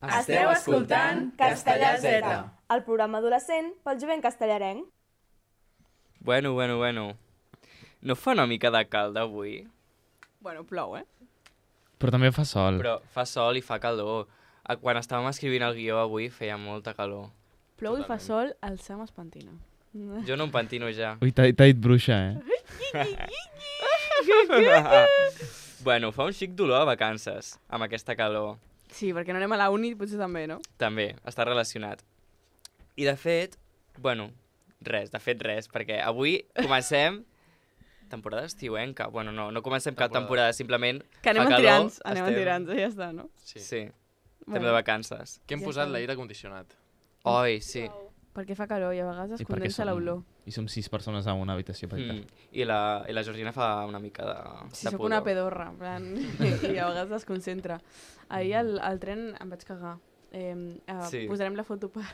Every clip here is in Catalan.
Esteu escoltant Castellà Z, el programa adolescent pel jovent castellarenc. Bueno. No fa una mica de calda avui? Bueno, plou, Però també fa sol. Però fa sol i fa calor. Quan estàvem escrivint el guió avui feia molta calor. Plou i fa sol, el Sam es pentina. Jo no em pentino ja. Ui, t'ha dit bruixa, Bueno, fa un xic dolor a vacances, amb aquesta calor. Sí, perquè no anem a la uni, potser també, no? També, està relacionat. I de fet, res, perquè avui comencem temporada estiuenca. Bueno, no comencem cap temporada, simplement que anem fa calor. Anem en tirants, ja està, no? Sí, estem de vacances. Que hem posat l'aire condicionat. Oi, sí. Perquè fa calor i a vegades es condensa l'olor. I som 6 persones a una habitació petita. I la Georgina fa una mica de Sí, soc una pedorra, en plan, i a vegades es concentra. Ahir al tren em vaig cagar. Posarem la foto per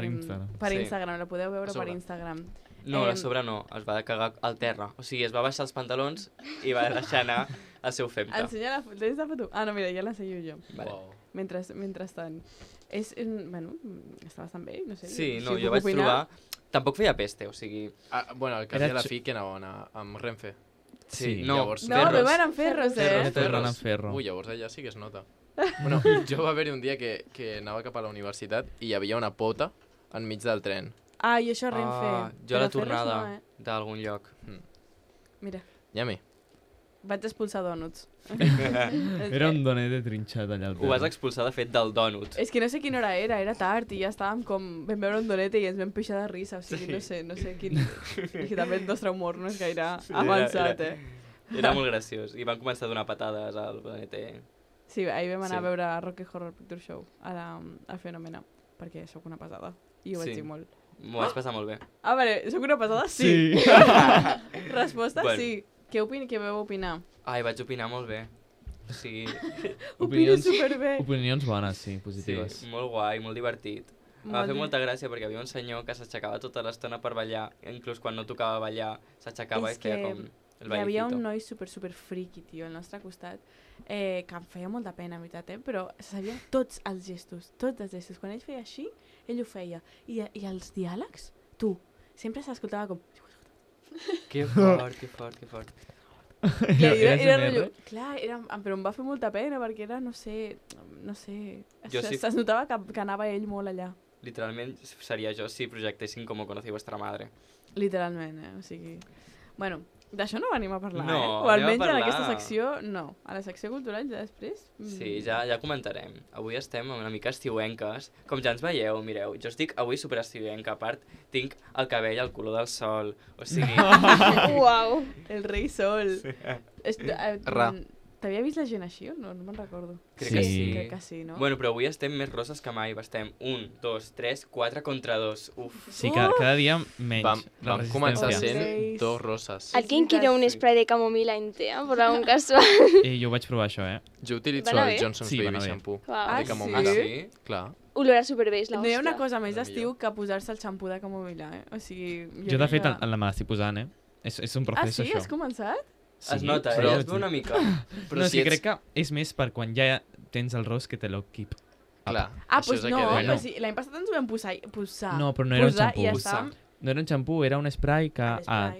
Instagram. Per Instagram, la podeu veure per Instagram. No, a sobre no, es va cagar al terra. O sigui, es va baixar els pantalons i va deixar anar el seu femta. Ensenya la foto. Tens la foto? Ah, no, mira, ja l'ensenyo jo. Vale. Wow. Mentrestant. Bueno, està bastant bé, no sé. Sí, no, jo vaig trobar... Tampoc feia peste, o sigui... Bueno, al cap de la fi que anaven amb Renfe. Sí, no, van amb ferros, Ferro. Ui, llavors allà sí que es nota. Bueno, jo va haver-hi un dia que anava cap a la universitat i hi havia una pota enmig del tren. Ah, i això Renfe. Jo a la tornada d'algun lloc. Mira. Yami. Vaig expulsar dònuts. Era un donet de trinxat allà al terra. Ho vas expulsar, de fet, del dònut. És que no sé quina hora era tard i ja estàvem com... Vam veure un donet i ens vam pixar de risa, o sigui, no sé quin... I també el nostre humor no és gaire avançat, Era molt graciós, i van començar a donar patades al donet. Sí, ahir vam anar a veure Rocky Horror Picture Show, al Fenomena, perquè sóc una pesada, i ho vaig dir molt. M'ho vaig passar molt bé. Ah, vale, sóc una pesada? Sí. Resposta, sí. Què vau opinar? Ai, vaig opinar molt bé. O sigui... Opino superbé. Opinions bones, sí, positives. Sí, molt guai, molt divertit. Em va fer molta gràcia perquè hi havia un senyor que s'aixecava tota l'estona per ballar, inclús quan no tocava ballar, s'aixecava i feia com el ballecito. Hi havia un noi super friki, tio, al nostre costat, que em feia molta pena, en veritat, però sabia tots els gestos. Quan ell feia així, ell ho feia. I els diàlegs, sempre s'escoltava com... Que fort. Era rotllo... Clar, però em va fer molta pena perquè era, no sé... Es notava que anava ell molt allà. Literalment seria jo si projectessin Com conocí vuestra madre. Literalment, o sigui... Bueno, d'això no venim a parlar, no, o almenys en aquesta secció, no. A la secció cultural ja després... Sí, ja comentarem. Avui estem una mica estiuenques. Com ja ens veieu, mireu, jo estic avui super estiuenca. A part, tinc el cabell al color del sol. O sigui... Uau! El rei sol. Sí. T'havia vist la gent així o no? No me'n recordo. Crec que sí, no? Bueno, però avui estem més roses que mai. Estem 1, 2, 3, 4 contra 2. Uf. Sí, cada dia menys. Vam començar sent 2 roses. ¿Alguien quiere un spray de camomila en tea, por algún casual? Jo vaig provar això, Jo utilitzo el Johnson's Baby Shampoo. Ah, de camomila. Sí? Clar. Olora superbé, és No hi ha una l'hòstia. cosa més d'estiu que posar-se el xampú de camomila, O sigui... Jo, de fet, la me l'estic posant, És un procés, això. Ah, sí? això. Has començat? Sí, es nota, però... es veu una mica. Però sí, crec que és més per quan ja tens el rosc que te lo keep. Clar. Ah, doncs no, però sí, l'any passat ens ho vam posar. No, però no era un xampú. No era un xampú, era un spray que... Clar,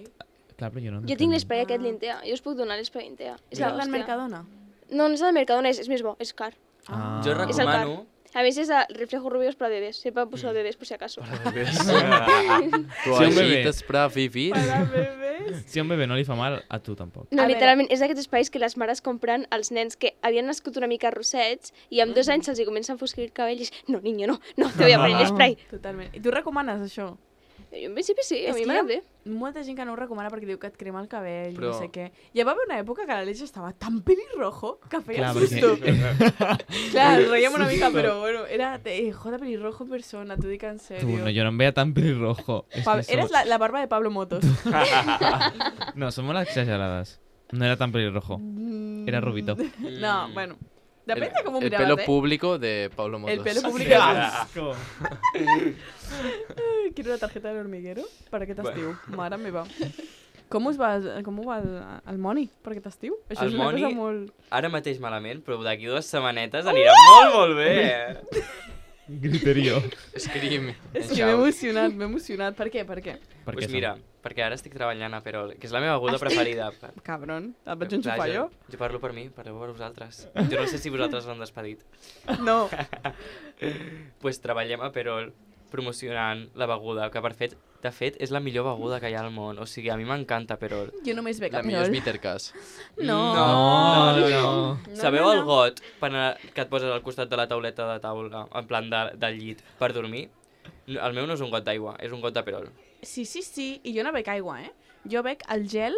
però jo no... Jo tinc l'espray aquest l'Intea, jo us puc donar l'espray Intea. És l'hòstia. El Mercadona? No, no és el Mercadona, és més bo, és car. Jo recomano... A veces es reflejo rubios para bebés, siempre puso bebés por si acaso. Para bebés. Toallites para vivir. Para bebés. Si a un bebè no li fa mal, a tu tampoc. No, literalment, és d'aquests espais que les mares compren als nens que havien nascut una mica rossets i amb 2 anys se'ls comença a enfosquir el cabell i és, no, niño, no, te voy a poner l'espray. Totalment. I tu recomanes això? Jo en principi sí, a mi m'ha bé. Molta gent que no ho recomana perquè diu que et crema el cabell, no sé què. Ja va haver una època que la Leche estava tan pelirrojo que feia susto. Clar, ens reiem una mica, però bueno, era joder, pelirrojo en persona, t'ho dic en sèrio. No, jo no em veia tan pelirrojo. Eres la barba de Pablo Motos. No, són molt exagerades. No era tan pelirrojo. Era rubito. No, bueno. Depèn de com ho miraves, El pelo público de Pablo Motos. El pelo público. Asco. Quiero una tarjeta del hormiguero per aquest estiu. Mare meva. Com ho va el Moni per aquest estiu? Això El és una Moni- cosa molt... Ara mateix malament, però d'aquí 2 setmanetes anirà molt bé. Griterio. Scream. És que m'he emocionat. Per què? Doncs mira, perquè ara estic treballant a Perol, que és la meva beguda preferida. Cabron, et vaig enxufar Clar, jo? Jo parlo per mi, parleu per vosaltres. Jo no sé si vosaltres l'han despedit. No. Pues treballem a Perol promocionant la beguda, que de fet és la millor beguda que hi ha al món. O sigui, a mi m'encanta Perol. Jo només bec La a millor és Perol. Bittercast. No. Sabeu no. el got que et poses al costat de la tauleta de taula, en plan del llit, per dormir? El meu no és un got d'aigua, és un got de Perol. Sí, i jo no bec aigua, eh? Jo bec el gel...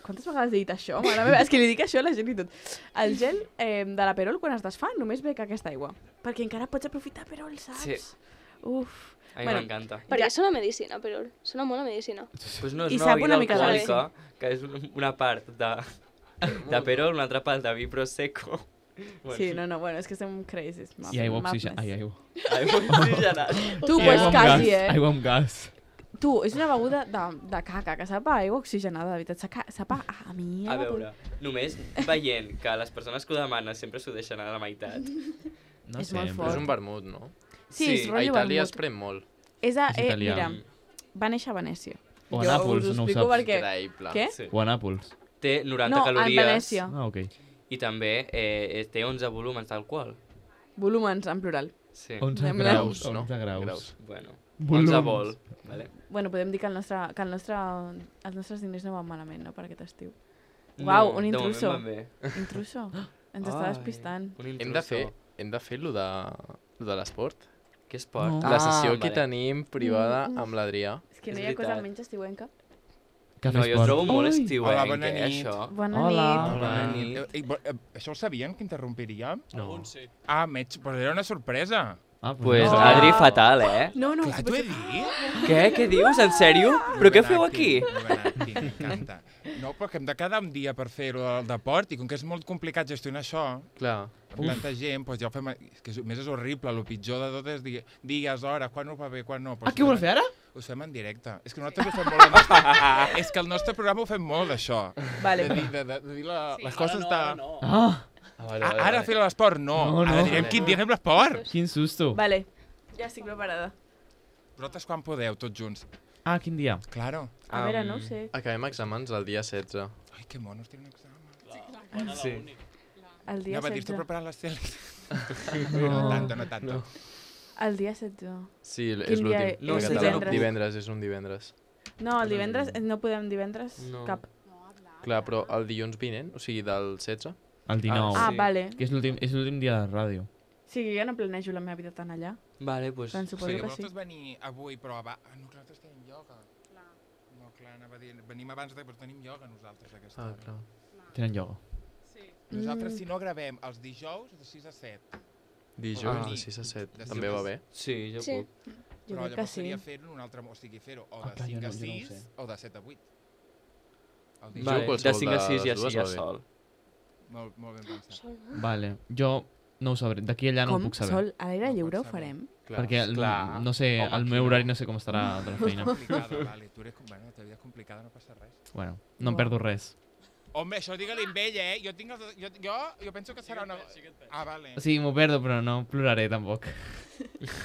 quantes vegades he dit això? Mare meva, és que li dic això a la gent i tot. El gel de la Perol, quan es desfà, només bec aquesta aigua. Perquè encara pots aprofitar Perol, saps? Sí. Uf. A mi Bueno, m'encanta. Perquè sona medicina, però sona molt a medicina. Pues no, és I una sap beguda una mica de alcohòlica, que és una part de Perol, una altra part de vi prosecco. Sí, no, bueno, és que estem crazy. I aigua oxigenada. Ai, aigua. Aigua oxigenada. Tu, I pues aigua amb quasi, gas, eh? Aigua amb gas. Tu, és una beguda de caca, que sap a aigua oxigenada, de veritat. Sap a mierda. A veure, només veient que les persones que ho demanen sempre s'ho deixen a la meitat. No És sé. molt Però fort. és un vermut, no? Sí, és Sí, A rotllo Itàlia es vermut. pren molt. És italià. mira, va néixer a Venècia. O a Jo Nàpols, us ho no ho explico saps. perquè... Increïble. Què? Sí. O a Nàpols. Té 90 No, en calories Venècia. Ah, ok. i també té 11 volúmens d'alcohol. Volúmens, en plural. Sí. 11 Sembla- graus. no? 11 graus. Graus. Bueno, Volums. 11 vol. Vale. Bueno, podem dir que els nostres diners no van malament, no?, per aquest estiu. No, Uau, un de moment intruso. van bé. Intruso. Ens està Ai, despistant. Un Hem intruso. de fer lo de l'esport. Què esport? No. La sessió que vale. tenim privada amb l'Adrià. És que no És hi ha cosa veritat. menys estiuenca. Cafè No, jo esport. trobo molt Ui. estiuenc, Hola, bona nit. això. Bona Hola. nit. Bona nit. Això ho sabien, que interrompiríem? No. Ah, però era una sorpresa. Ah, Pues Oh. Adri fatal, eh? No, Clar, t'ho he dit. Què? Què dius? En sèrio? Però què feu aquí? M'encanta. No, però que hem de quedar un dia per fer-ho del deport, i com que és molt complicat gestionar això, Clar. amb tanta gent, doncs ja ho fem... És que a més és horrible, el pitjor de tot és dies, hores, quan ho va bé, quan no. Ah, què vol fer ara? Ho fem en directe. És que nosaltres ho fem molt... És que el nostre programa ho fem molt, això. Vale. De dir les coses de... Ah, Ara fer l'esport, no. No, no. Ara direm quin dia fem l'esport. quin susto. Vale. Ja estic preparada. Vosaltres quan podeu, tots junts? Ah, quin dia? Claro. A veure, no ho sé. Acabem exàmens el dia 16. Ai, que monos, tinc un examen. Sí. El dia Anava a dir, 16. estic preparant les teles. No tanto, no tanto. El dia 16. Sí, és Quin dia l'últim. No, en és català. divendres. Divendres, és un divendres. No, el divendres, no podem divendres No. cap. Clar, però el dilluns vinent, o sigui, del 16, El 19. Ah, sí. vale. Que és l'últim dia de ràdio. Sí, que jo no planejo la meva vida tan allà. Vale, pues... Doncs suposo Sí, que sí. vosaltres venir avui, però no, nosaltres tenim ioga. No, clar, anava a dir, venim abans però tenim ioga nosaltres aquesta hora. clar. Tenen ioga. Nosaltres, si no gravem els dijous, de 6 a 7. Dijous, Ah. de 6 a 7. De També sis a va bé. Sí, jo Sí. puc. Jo Però crec que llavors sí. seria fer-ho en un altre... O sigui, fer-ho o de clar, 5 jo a no ho 6 sé. o de 7 a 8. El dijous, Vale, de qualsevol 5 a 6 de ja les dues sí, ja va bé. sol. molt ben pensat. Vale, jo no ho sabré. D'aquí a allà no ho Com? puc saber. Sol, a l'aire No lliure ho pots saber. farem? Clar. Perquè, Clar. no sé, Home, el aquí meu no. horari no sé com estarà de la feina. Complicada, vale. Tu eres, bueno, la teva vida és complicada, no passa res. Bueno, no em perdo res. Home, això digue-li amb ell, Jo, tinc jo penso que serà una... Ah, vale. O sigui, m'ho perdo, però no ploraré tampoc.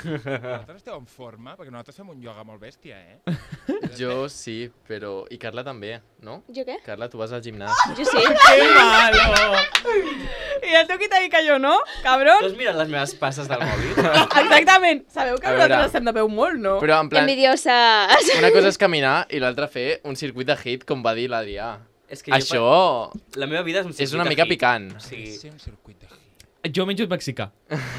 Vosaltres esteu en forma? Perquè nosaltres fem un ioga molt bèstia, Jo sí, però... I Carla també, no? Jo què? Carla, tu vas al gimnàs. Jo sí. Que malo! I el teu qui t'ha dit que jo no, cabron? Tu has mirat les meves passes del mòbil? Exactament. Sabeu que A veure. nosaltres estem de peu molt, no? Però en plan, Envidioses. una cosa és caminar i l'altra fer un circuit de hit, com va dir l'Adrià. És que Això La meva vida és un és una circuit de mica hit. picant. O sigui, Sí, un circuit de hit. Jo menjo mexicà.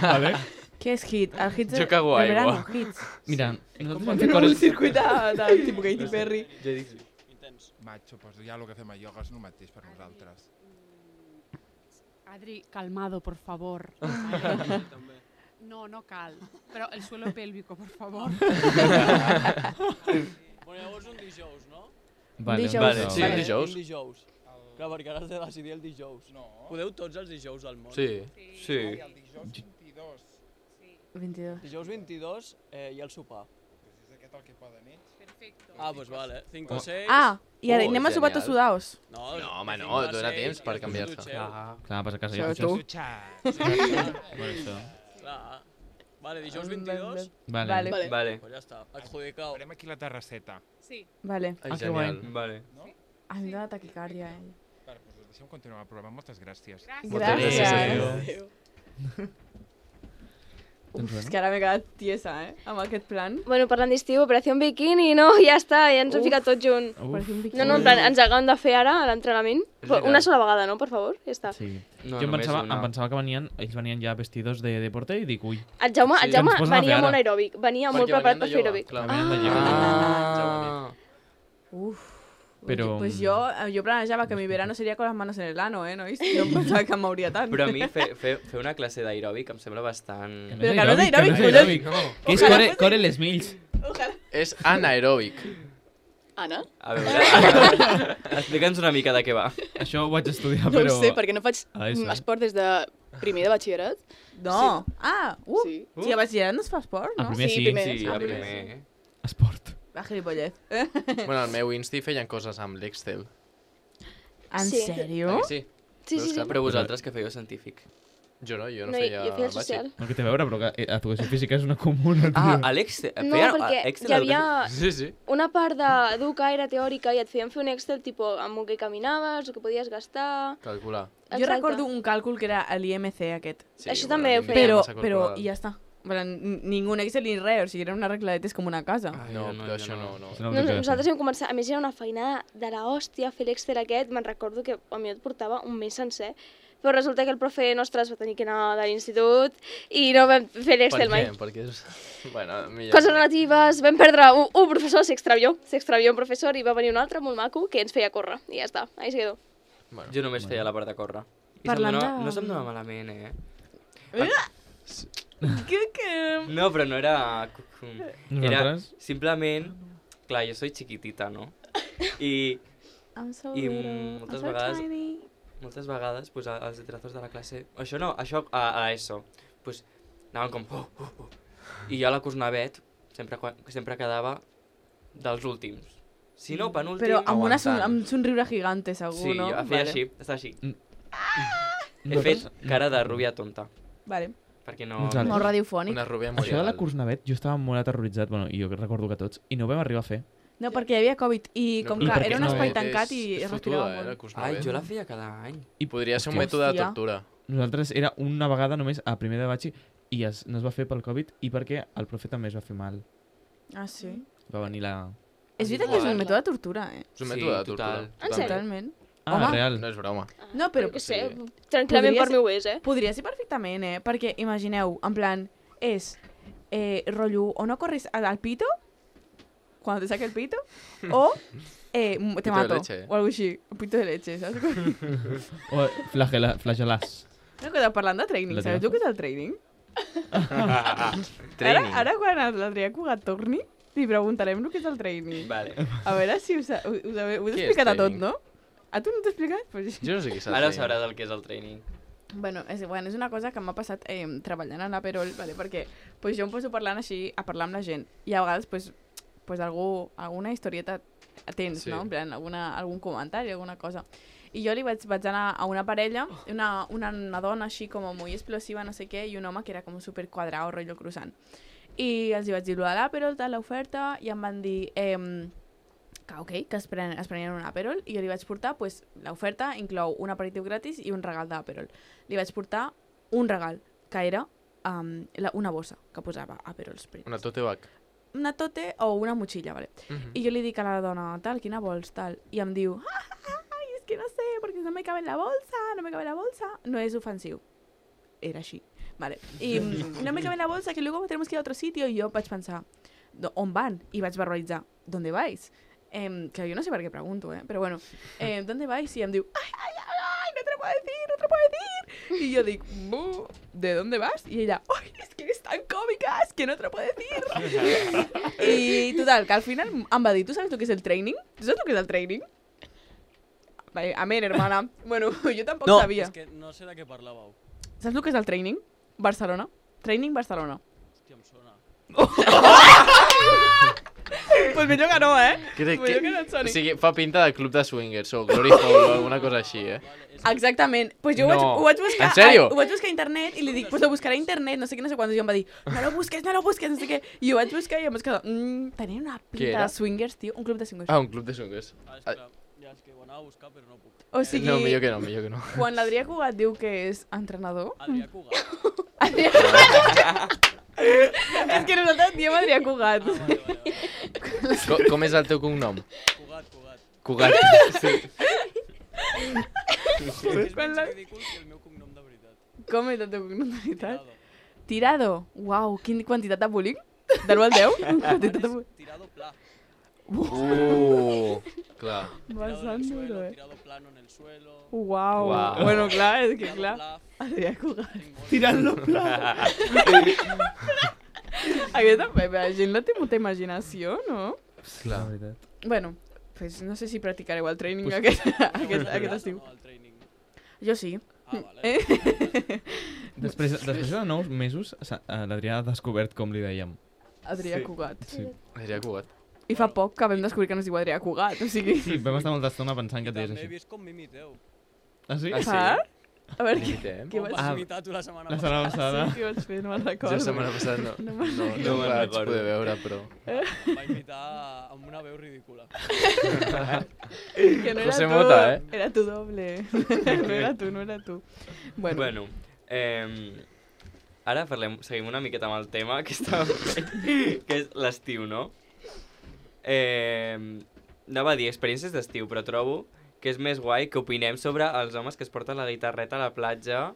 Vale? Què és hit? El hit Jo cago de aigua. verano, hits. Mira, nosaltres vam Fem fer un coses... circuit de tipus Katy Perry. jo dic sí. Macho, doncs ja el que fem a ioga és el mateix per nosaltres. Adri, calmado, por favor. No, no cal. Però el suelo pélvico, por favor. Bueno, llavors un dijous, no? Vale, Dijous. Vale, Sí, Vale. dijous. Un dijous. Clar, perquè ara has de decidir el dijous. No. Podeu tots els dijous del món. Sí. Sí. Ai, el dijous 22. 22. Dijous 22 hi ha el sopar. Aquest el que poden ells. Perfecto. Ah, pues vale. 5 o 6. Ah, i ara Oh, anem a sopar genial. tots sudaos. No, No, home, no, cinc a dona seis temps per i després canviar-se. dutxeu. Clar. Vas a casa i Això ja tu. Per això. Clar. Vale, dijous 22. Vale. Vale. Vale. Vale. Pues ja està. Adjudicau. Farem aquí la terrasseta. Sí. Vale. Ai, que guai. genial. Vale. Em dóna taquicàrdia, Vale, doncs deixem continuar el programa. Moltes gràcies. Moltes Gràcies. Doncs És bueno. que ara m'he quedat tiesa, amb aquest plan. Bueno, parlant d'estiu, Operació Bikini, no? Ja està, ja ens hem ficat tots junt. Per fer un No, no, en plan, ens acabem de fer ara a l'entrenament. És Una veritat. sola vegada, no? Per favor, ja està. Sí. No, Jo em només pensava, una. que ells venien ja vestidos de deporte i dic, ui, El Jaume, Sí. el Jaume Ens posen a venia fer ara. molt aeròbic, venia molt Perquè preparat venien per de fer ioga, aeròbic. clar. venien de ioga. Ah. Uf. Però- Pues jo planejava que mi verano seria con las manos en el ano, nois? No em pensava que em mouria tant. Però a mi fer una classe d'aeròbic em sembla bastant... Però que no és aeròbic, que no és collons. aeròbic. Que és core les mills. És anaeròbic. Anna? A veure, explica'ns una mica de què va. Això ho vaig estudiar, No però... ho sé, perquè no faig a l'ESO. esport des de primer de batxillerat. No. Ah, Sí. Sí, a batxillerat no es fa esport, A no? primer Sí, sí. primer. Sí, Ah, a primer, primer. Esport. Va, gilipollez. Bueno, al meu insti feien coses amb l'Excel. En Sí. sèrio? Sí. Sí, sí, sí. Però vosaltres que fèieu científic. Jo no No, feia jo feia el bàsic. social. No té a veure, però que educació física és una comuna, tio. Ah, a l'Excel. No, perquè hi havia Sí, sí. una part d'educar era teòrica i et feien fer un Excel tipo amb el que caminaves, el que podies gastar... Calcular. Jo Exacte. recordo un càlcul que era l'IMC aquest. Sí, Això també ho l'India feia. Però, massa però, calculada. i ja està. Ningú Excel ni res, o sigui, era una regladetes com una casa. No, però això no. Això no ho No, sé què nosaltres fer. vam començar, a més era una feinada de la hòstia fer l'Excel aquest, me'n recordo que a mi et portava un mes sencer, però resulta que el profe nostre es va tenir que anar de l'institut i no vam fer l'Excel mai. Perquè és... Bueno, millor. Coses relatives, vam perdre un professor, s'extravió un professor i va venir un altre molt maco que ens feia córrer i ja està, ahí se quedó. Bueno. Jo només feia la part de córrer. I Parlant no se'm de- donava malament, eh? Que... No, però no era... Era Nosaltres? simplement... Clar, jo soy chiquitita, no? I I'm so I little, moltes I'm so vegades- tiny. moltes vegades pues, els detrators de la classe... Això no, això a l'ESO. Pues, anaven com... I jo a la Cosnavet sempre quedava dels últims. Si no, penúltim... Però amb, aguantant. amb somriure gigante, segur, Sí, no? jo feia així, estava així. He Nosaltres- fet cara de rubia tonta, Vale. perquè no... Nosaltres- Molt radiofònic. Una rubia Això de la molt Cursnavet, jo estava molt aterroritzat, bueno, i jo recordo que tots, i no ho vam arribar a fer. No, perquè hi havia Covid i com I que perquè era un no espai és- tancat i es respirava molt. Ai, jo la feia cada any. I podria ser un Hòstia. mètode de tortura. Nosaltres era una vegada només a primer de batxi i no es va fer pel Covid i perquè el profe també es va fer mal. Ah, sí? Va venir la... És veritat que és un mètode de tortura, eh? És un Sí, mètode de tortura. total. En sèrio? Totalment. Ah, Home. real. No és broma. No, però Jo què sé, sí. tranquil·lament Podria per mi ho és, eh? podria ser perfectament, eh? Perquè imagineu, en plan, és rotllo, o no corres al pito, cuando te saque el pito, o te Pito de mato, leche. o algo així, un pito de leche, saps? O flagelàs. No, que parlant de training, La sabeu teva tu què és el training? Training. Ara quan l'Adrià Cugat torni, li preguntarem el que és el training. Vale. A veure si us he Què és explicat a tot, training? no? A tu no t'he explicat? Pues... Jo no sé què saps. Ara sabràs el que és el training. Bueno, és una cosa que m'ha passat treballant en l'Aperol, vale? Perquè pues, jo em poso parlant així, a parlar amb la gent, i a vegades pues, alguna historieta tens, Sí. no? En plan, algun comentari, alguna cosa. I jo li vaig anar a una parella, una dona així com molt explosiva, no sé què, i un home que era com super quadrado, rotllo croissant. I els hi vaig dir lo de l'Aperol, tal, l'oferta, i em van dir que ok, que es prenien un Aperol, i jo li vaig portar, pues, l'oferta inclou un aperitiu gratis i un regal d'Aperol. Li vaig portar un regal, que era una bossa que posava Aperol Spritz. Una tote bag. Una tote o una motxilla, vale? I jo li dic a la dona, tal, quina vols, tal, i em diu, ai, és que no sé, perquè no me cabe en la bolsa, no me cabe en la bolsa. No és ofensiu. Era així, vale. I no me cabe en la bolsa, que luego tenemos que ir a otro sitio. I jo vaig pensar, on van? I vaig verbalitzar, ¿dónde vais? Que jo no sé per què pregunto, però bueno, ¿dónde vais? I em diu, ay, no te lo puedo decir, no te lo puedo decir. Y yo digo, ¿de dónde vas? Y ella, ¡ay, es que eres tan cómica, es que no te lo puedo decir! Y total, que al final em va dir, ¿tú sabes lo que es el training? ¿Tú sabes lo que es el training? Vale, amén, hermana. Bueno, yo tampoco No. sabía. És que no sé de què parlàveu. ¿Sabes lo que es el training? Barcelona. Training Barcelona. Hòstia, em sona. Pues millor que no, Crec Millor que no et soni. O sigui, fa pinta de club de swingers o Glory Hole o alguna cosa així, Exactament. Pues jo No. ho vaig buscar... En sèrio? Ho vaig buscar a internet i li dic, pues lo buscaré a internet, no sé què, no sé quants. I em va dir, no lo busques, no sé què. I ho vaig buscar i em vaig quedar... Tenia una Què pinta era? de swingers, tio. Un club de swingers. Ah, un club de swingers. Ah, és clar, ja és que ho anava a buscar, però no puc. O sigui, No, millor que no. quan l'Adrià Cugat diu que és entrenador... Adrià Cugat. És que nosaltres diem Adrià Cugat. Vale. Com és el teu cognom? Cugat. Cugat. Sí. És menys ridícul que el meu cognom de veritat. Com és el teu cognom de veritat? Tirado. Tirado. Uau, quina quantitat de bullying. De l'1 al 10? Quantitat de bullying. Tirado pla. Clar. Bastant Tirado en el duro, suelo, tirado plano en el suelo. Uau. Uau. Bueno, clar, és que tirado clar. plaf. Adrià Cugat. Tinc molt. Tirant-lo Aquesta la gent no té molta imaginació, no? Clar. Bueno, pues no sé si practicareu el training Pues- aquest estiu. No, el training. Jo sí. Ah, vale. Després de 9 mesos, l'Adrià ha descobert com li dèiem. Adrià Sí. Cugat. Sí. Adrià Cugat. I fa poc que vam descobrir que no es diu Adrià Cugat, o sigui... Sí, vam estar molta estona pensant que et deies També he així. vist com m'imiteu. Ah, sí? Ah, sí? Ah? A veure, què Imitem. Què Com vas vas Ah, imitar tu la setmana La setmana passada? passada. sí, què vaig fer? No me'n Jo recordo. la setmana passada no No me'n me'n vaig recordo. poder veure, però... Va imitar amb una veu ridícula. Que no era José tu, Mota, Era tu doble. no era tu. Bueno, ara seguim una miqueta amb el tema que estàvem fent, que és l'estiu, no? Anava a dir experiències d'estiu, però trobo que és més guai que opinem sobre els homes que es porten la guitarreta a la platja.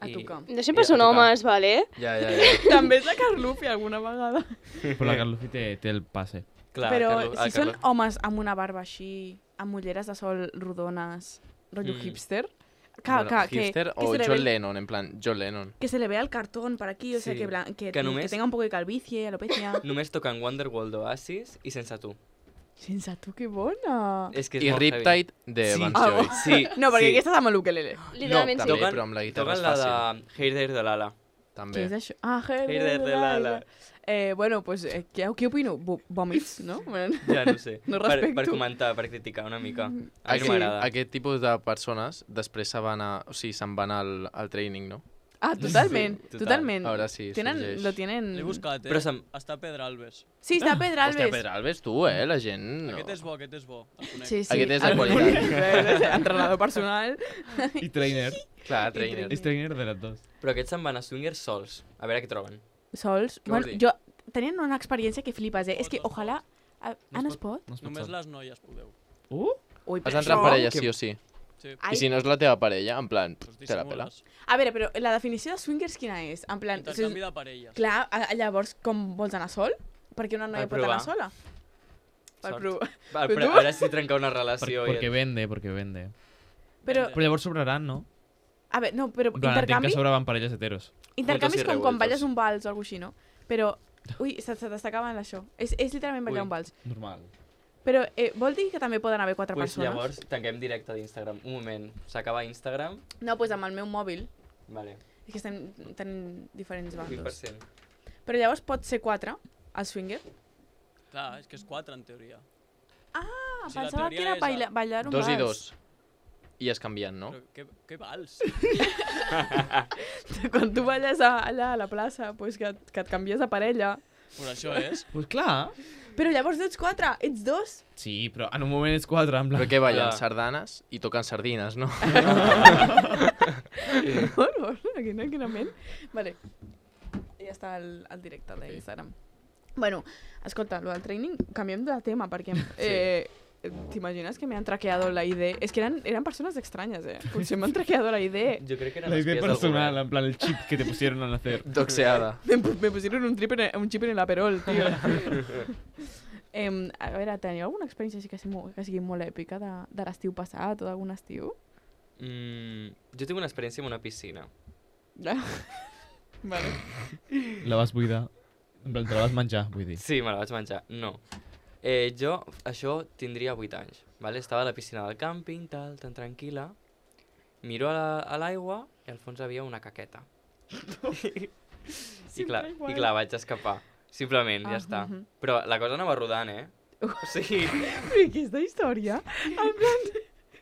A tocar. No sempre a són tocar. homes, vale? Ja. També és la Carlufi alguna vegada. Però la Carlufi té el passe. Clar, Però Carlos- si el són Carlos- homes amb una barba així, amb ulleres de sol rodones, rotllo hipster, Hipster o se le John ve- Lennon, en plan, John Lennon. que se le vea el cartón por aquí, o sea, Sí. que Que només- tenga un poco de calvicie, alopecia. Només toquen Wonderwall d'Oasis i sense tu. Sense tu, que bona! És que és I molt heavy. Riptide de Sí. Vance Ah, Joy. Sí, No, perquè sí. aquesta és amb el ukelele. Literalment No, sí. també, però amb la guitarra és Toquen la fàcil. de Hey There de Lala. Què També. és això? Ah, Hey There de Lala. Bueno, pues, què opino? Vòmits, no? Bueno, Ja no sé. No per respecto. comentar, per criticar una mica. A mi no Aquest, m'agrada. aquest tipus de persones després se'n van al training, no? Ah, totalment, Sí, total. totalment. A veure si Tenen, sorgeix. lo tienen... L'he buscat, Però Està a Pedralbes. Sí, està a Pedralbes. Hòstia, Pedralbes, tu, la gent... No. Aquest és bo, El conec. Sí, sí. Aquest és de el qualitat. conec. Entrenador personal. I trainer. Clar, trainer. És trainer de les dos. Però aquests se'n van a swingers sols. A veure què troben. Sols. Què vols Bueno, dir? tenien una experiència que flipes, És que, No es pot. ojalà... no es pot? No es pot Només sol. les noies podeu. Ui, Has però d'entrar en això- parella, sí o sí. Sí. Ai. I si no és la teva parella, en plan, Pues te la pela. dissimules. A veure, però la definició de swingers quina és? En plan, Intercanvi de parelles. clar, llavors com vols anar sol? Perquè una noia Per pot anar provar. sola? Per Sort. provar. Va, Però però tu- ara sí trencar una relació. Perquè vende. Però, Però llavors sobraran, no? a veure, no, però En plan, entenc intercanvi, que sobraven parelles heteros. intercanvi és Juntos y com quan revueltos. balles un vals o alguna així, no? Però, ui, se t'està acabant això. És literalment ballar Ui. un vals. Normal. Però vol dir que també poden haver 4 Pues persones? llavors tanquem directe d'Instagram. Un moment. S'acaba Instagram. No, doncs amb el meu mòbil. Vale. És que estem tenint diferents bandos. 20%. Però llavors pot ser 4, el swinger. Clar, és que és 4 en teoria. Ah, Si la pensava que teoria era és ballar un Dos vals. i dos. I es canvien, no? Però què vals? Quan tu balles allà a la plaça, pues que et canvies de parella. Pues això és. Pues clar. Però llavors no ets 4, ets 2. Sí, però en un moment és 4, en plan... Però què ballen? Clar. Sardanes i toquen sardines, no? Bueno, quina ment. Vale. Ja està el directe d'Instagram. Bueno, escolta, lo del training, canviem de tema, perquè t'imagines que me han traqueado la ID? És que eren persones estranyes, Potser m'han traqueado la ID. Jo crec que eren La idea espies del personal, govern. en plan el chip que te pusieron al nacer. Doxeada. Me pusieron un chip en el Aperol, tio. A veure, teniu alguna experiència així que sigui molt èpica de l'estiu passat o d'algun estiu? Jo tinc una experiència amb una piscina. Vale. La vas buidar. En plan, te la vas menjar, vull dir. Sí, me la vaig menjar. No. Jo, això, tindria 8 anys. Vale? Estava a la piscina del càmping, tal, tan tranquil·la. Miro a l'aigua i al fons havia una caqueta. I clar, vaig escapar. Simplement, ja està. Però la cosa anava rodant, O sigui... Però i aquesta història? En plan...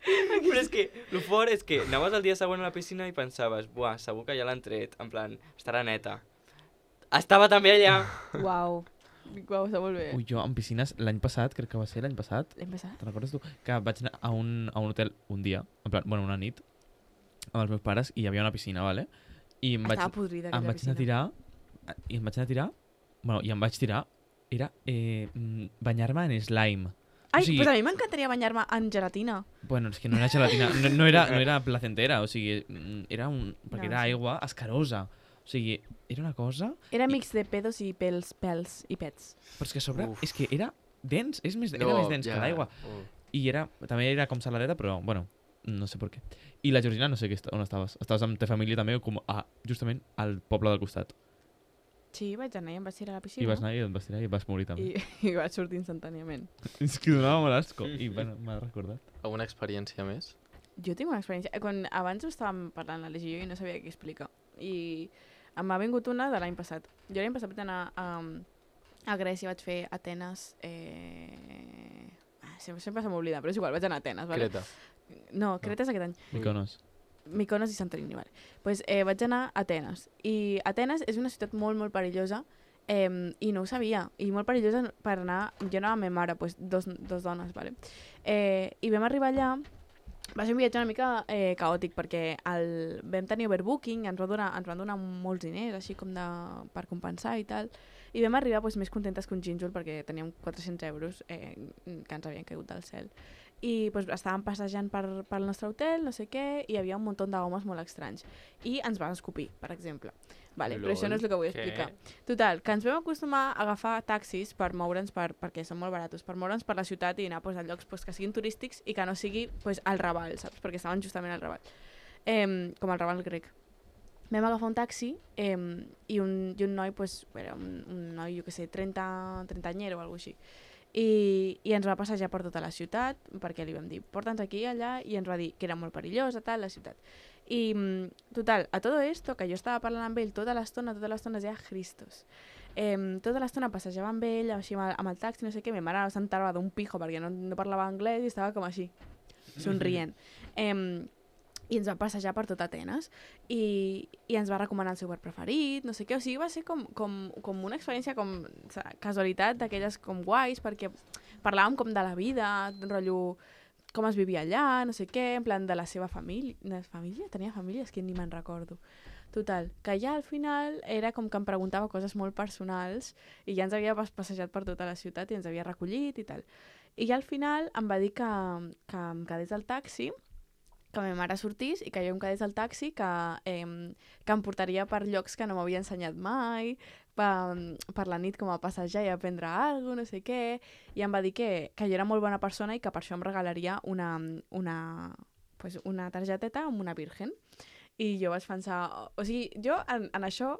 Però és que, el fort és que anaves el dia següent a la piscina i pensaves, buah, segur que ja l'han tret, en plan, estarà neta. Estava també allà. Uau. Uau, està molt bé. Ui, jo en piscines, l'any passat, crec que va ser l'any passat, L'hem passat? te'n recordes tu? Que vaig anar a un hotel un dia, en plan, bueno, una nit, amb els meus pares, i hi havia una piscina, vale? I em vaig, Estava podrida em aquella vaig anar a piscina. tirar, i em vaig anar a tirar, bueno, i em vaig tirar, era banyar-me en slime. Ai, o sigui, pues a mi m'encantaria banyar-me en gelatina. bueno, és que no era gelatina, no era placentera, o sigui, era perquè No, era sí. aigua escarosa. O sigui, era una cosa... Era mix de pedos i pels i pets. Però és que a sobre, Uf. és que era dens, era més dens que l'aigua. Oh. I també era com saladeta, però, bueno, no sé per què. I la Georgina, no sé on estaves. Estaves amb ta família també, com justament al poble del costat. Sí, vaig anar i em vaig tirar a la piscina. I vas anar i et vas tirar i vas morir també. I vaig sortir instantàniament. És que donava molt asco. I, bueno, m'ha recordat. Alguna experiència més? Jo tinc una experiència... Quan abans ho estàvem parlant la Legi i jo i no sabia què explicar. I m'ha vingut una de l'any passat. Jo l'any passat vaig anar a Grècia, vaig fer Atenes... sempre se m'oblida, però és igual, vaig anar a Atenes. Vale? Creta. No, Creta és aquest any. Mykonos. Mykonos i Santorini, vale. Pues, vaig anar a Atenes. I Atenes és una ciutat molt, molt perillosa i no ho sabia. I molt perillosa per anar... Jo anava amb ma mare, pues, dos dones, vale. I vam arribar allà. Va ser un viatge una mica caòtic perquè vam tenir overbooking, ens van donar molts diners, així com per compensar i tal. I vam arribar pues, més contentes que un gínjol perquè teníem 400 euros que ens havien caigut del cel. I pues, estàvem passejant pel nostre hotel, no sé què, i hi havia un munt d'homes molt estranys. I ens van escopir, per exemple. Vale, però això no és el que vull explicar. Total, que ens vam acostumar a agafar taxis per moure'ns, perquè són molt baratos, per moure'ns per la ciutat i anar pues, a llocs pues, que siguin turístics i que no sigui pues, al Raval, saps? Perquè estaven justament al Raval. Com al Raval grec. Vam agafar un taxi i un noi, pues, era un noi, jo què sé, 30 anyero o alguna cosa així. I ens va passejar per tota la ciutat, perquè li vam dir, porta'ns aquí i allà, i ens va dir que era molt perillosa, tal, la ciutat. I, total, a todo esto, que jo estava parlant amb ell tota l'estona deia Christos. Tota l'estona passejava amb ell, així amb el taxi, no sé què, ma mare s'enterava d'un pijo perquè no parlava anglès i estava com així, somrient. I ens va passejar per tot Atenes i ens va recomanar el seu bar preferit, no sé què, o sigui, va ser com una experiència com casualitat d'aquelles com guais, perquè parlàvem com de la vida, rotllo com es vivia allà, no sé què, en plan de la seva família. Tenia família? És que ni me'n recordo. Total, que ja al final era com que em preguntava coses molt personals i ja ens havia passejat per tota la ciutat i ens havia recollit i tal. I ja al final em va dir que em quedés al taxi, que ma mare sortís i que jo em quedés al taxi, que em portaria per llocs que no m'havia ensenyat mai, per la nit com a passejar i aprendre alguna cosa, no sé què, i em va dir que jo era molt bona persona i que per això em regalaria una targeteta amb una virgen. I jo vaig pensar... O sigui, jo en això,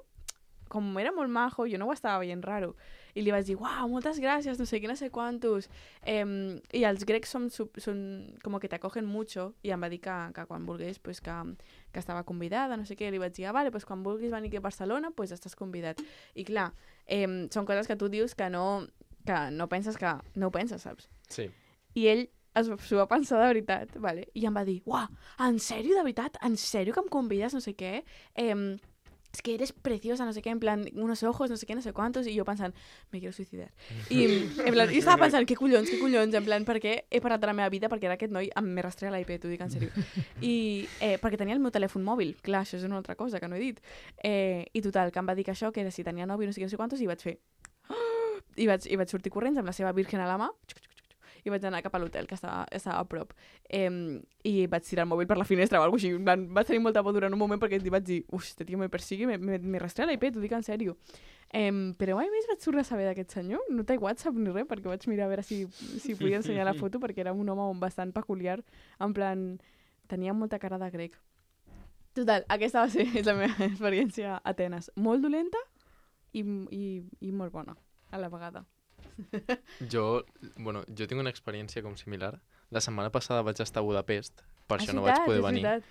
com era molt majo, jo no ho estava veient raro. I li vaig dir, uau, moltes gràcies, no sé què, no sé quantos. I els grecs són com que t'acogen mucho, i em va dir que quan vulgués, pues, que estava convidada, no sé què, li vaig dir, vale, pues, quan vulguis venir aquí a Barcelona, pues, estàs convidat. I clar, són coses que tu dius que no penses que no ho penses, saps? Sí. I ell s'ho va pensar de veritat, vale? I em va dir, uau, en sèrio, de veritat? En sèrio que em convides, no sé què? Es que eres preciosa, no sé què, en plan, unos ojos, no sé què, no sé quantos, i jo pensant, me quiero suicidar. I en plan, jo estava pensant, què collons, en plan, perquè he parat de la meva vida perquè era aquest noi me rastrea l'IP, t'ho dic en sèrio. I perquè tenia el meu telèfon mòbil, clar, això és una altra cosa que no he dit. I total, que em va dir que això, que si tenia nòvio, no sé què, no sé quantos, i vaig fer... I vaig sortir corrents amb la seva virgen a la mà, i vaig anar cap a l'hotel, que estava a prop. I vaig tirar el mòbil per la finestra o alguna cosa així. Vaig tenir molta por durant un moment perquè vaig dir, este tio me persigue, me rastrea l'IP, t'ho dic en sèrio. Però mai més vaig tornar a saber d'aquest senyor. No té WhatsApp ni res, perquè vaig mirar a veure si podia ensenyar la foto, perquè era un home bastant peculiar. En plan, tenia molta cara de grec. Total, aquesta va ser la meva experiència a Atenes. Molt dolenta i molt bona, a la vegada. Jo tinc una experiència com similar. La setmana passada vaig estar a Budapest, per això no vaig poder venir.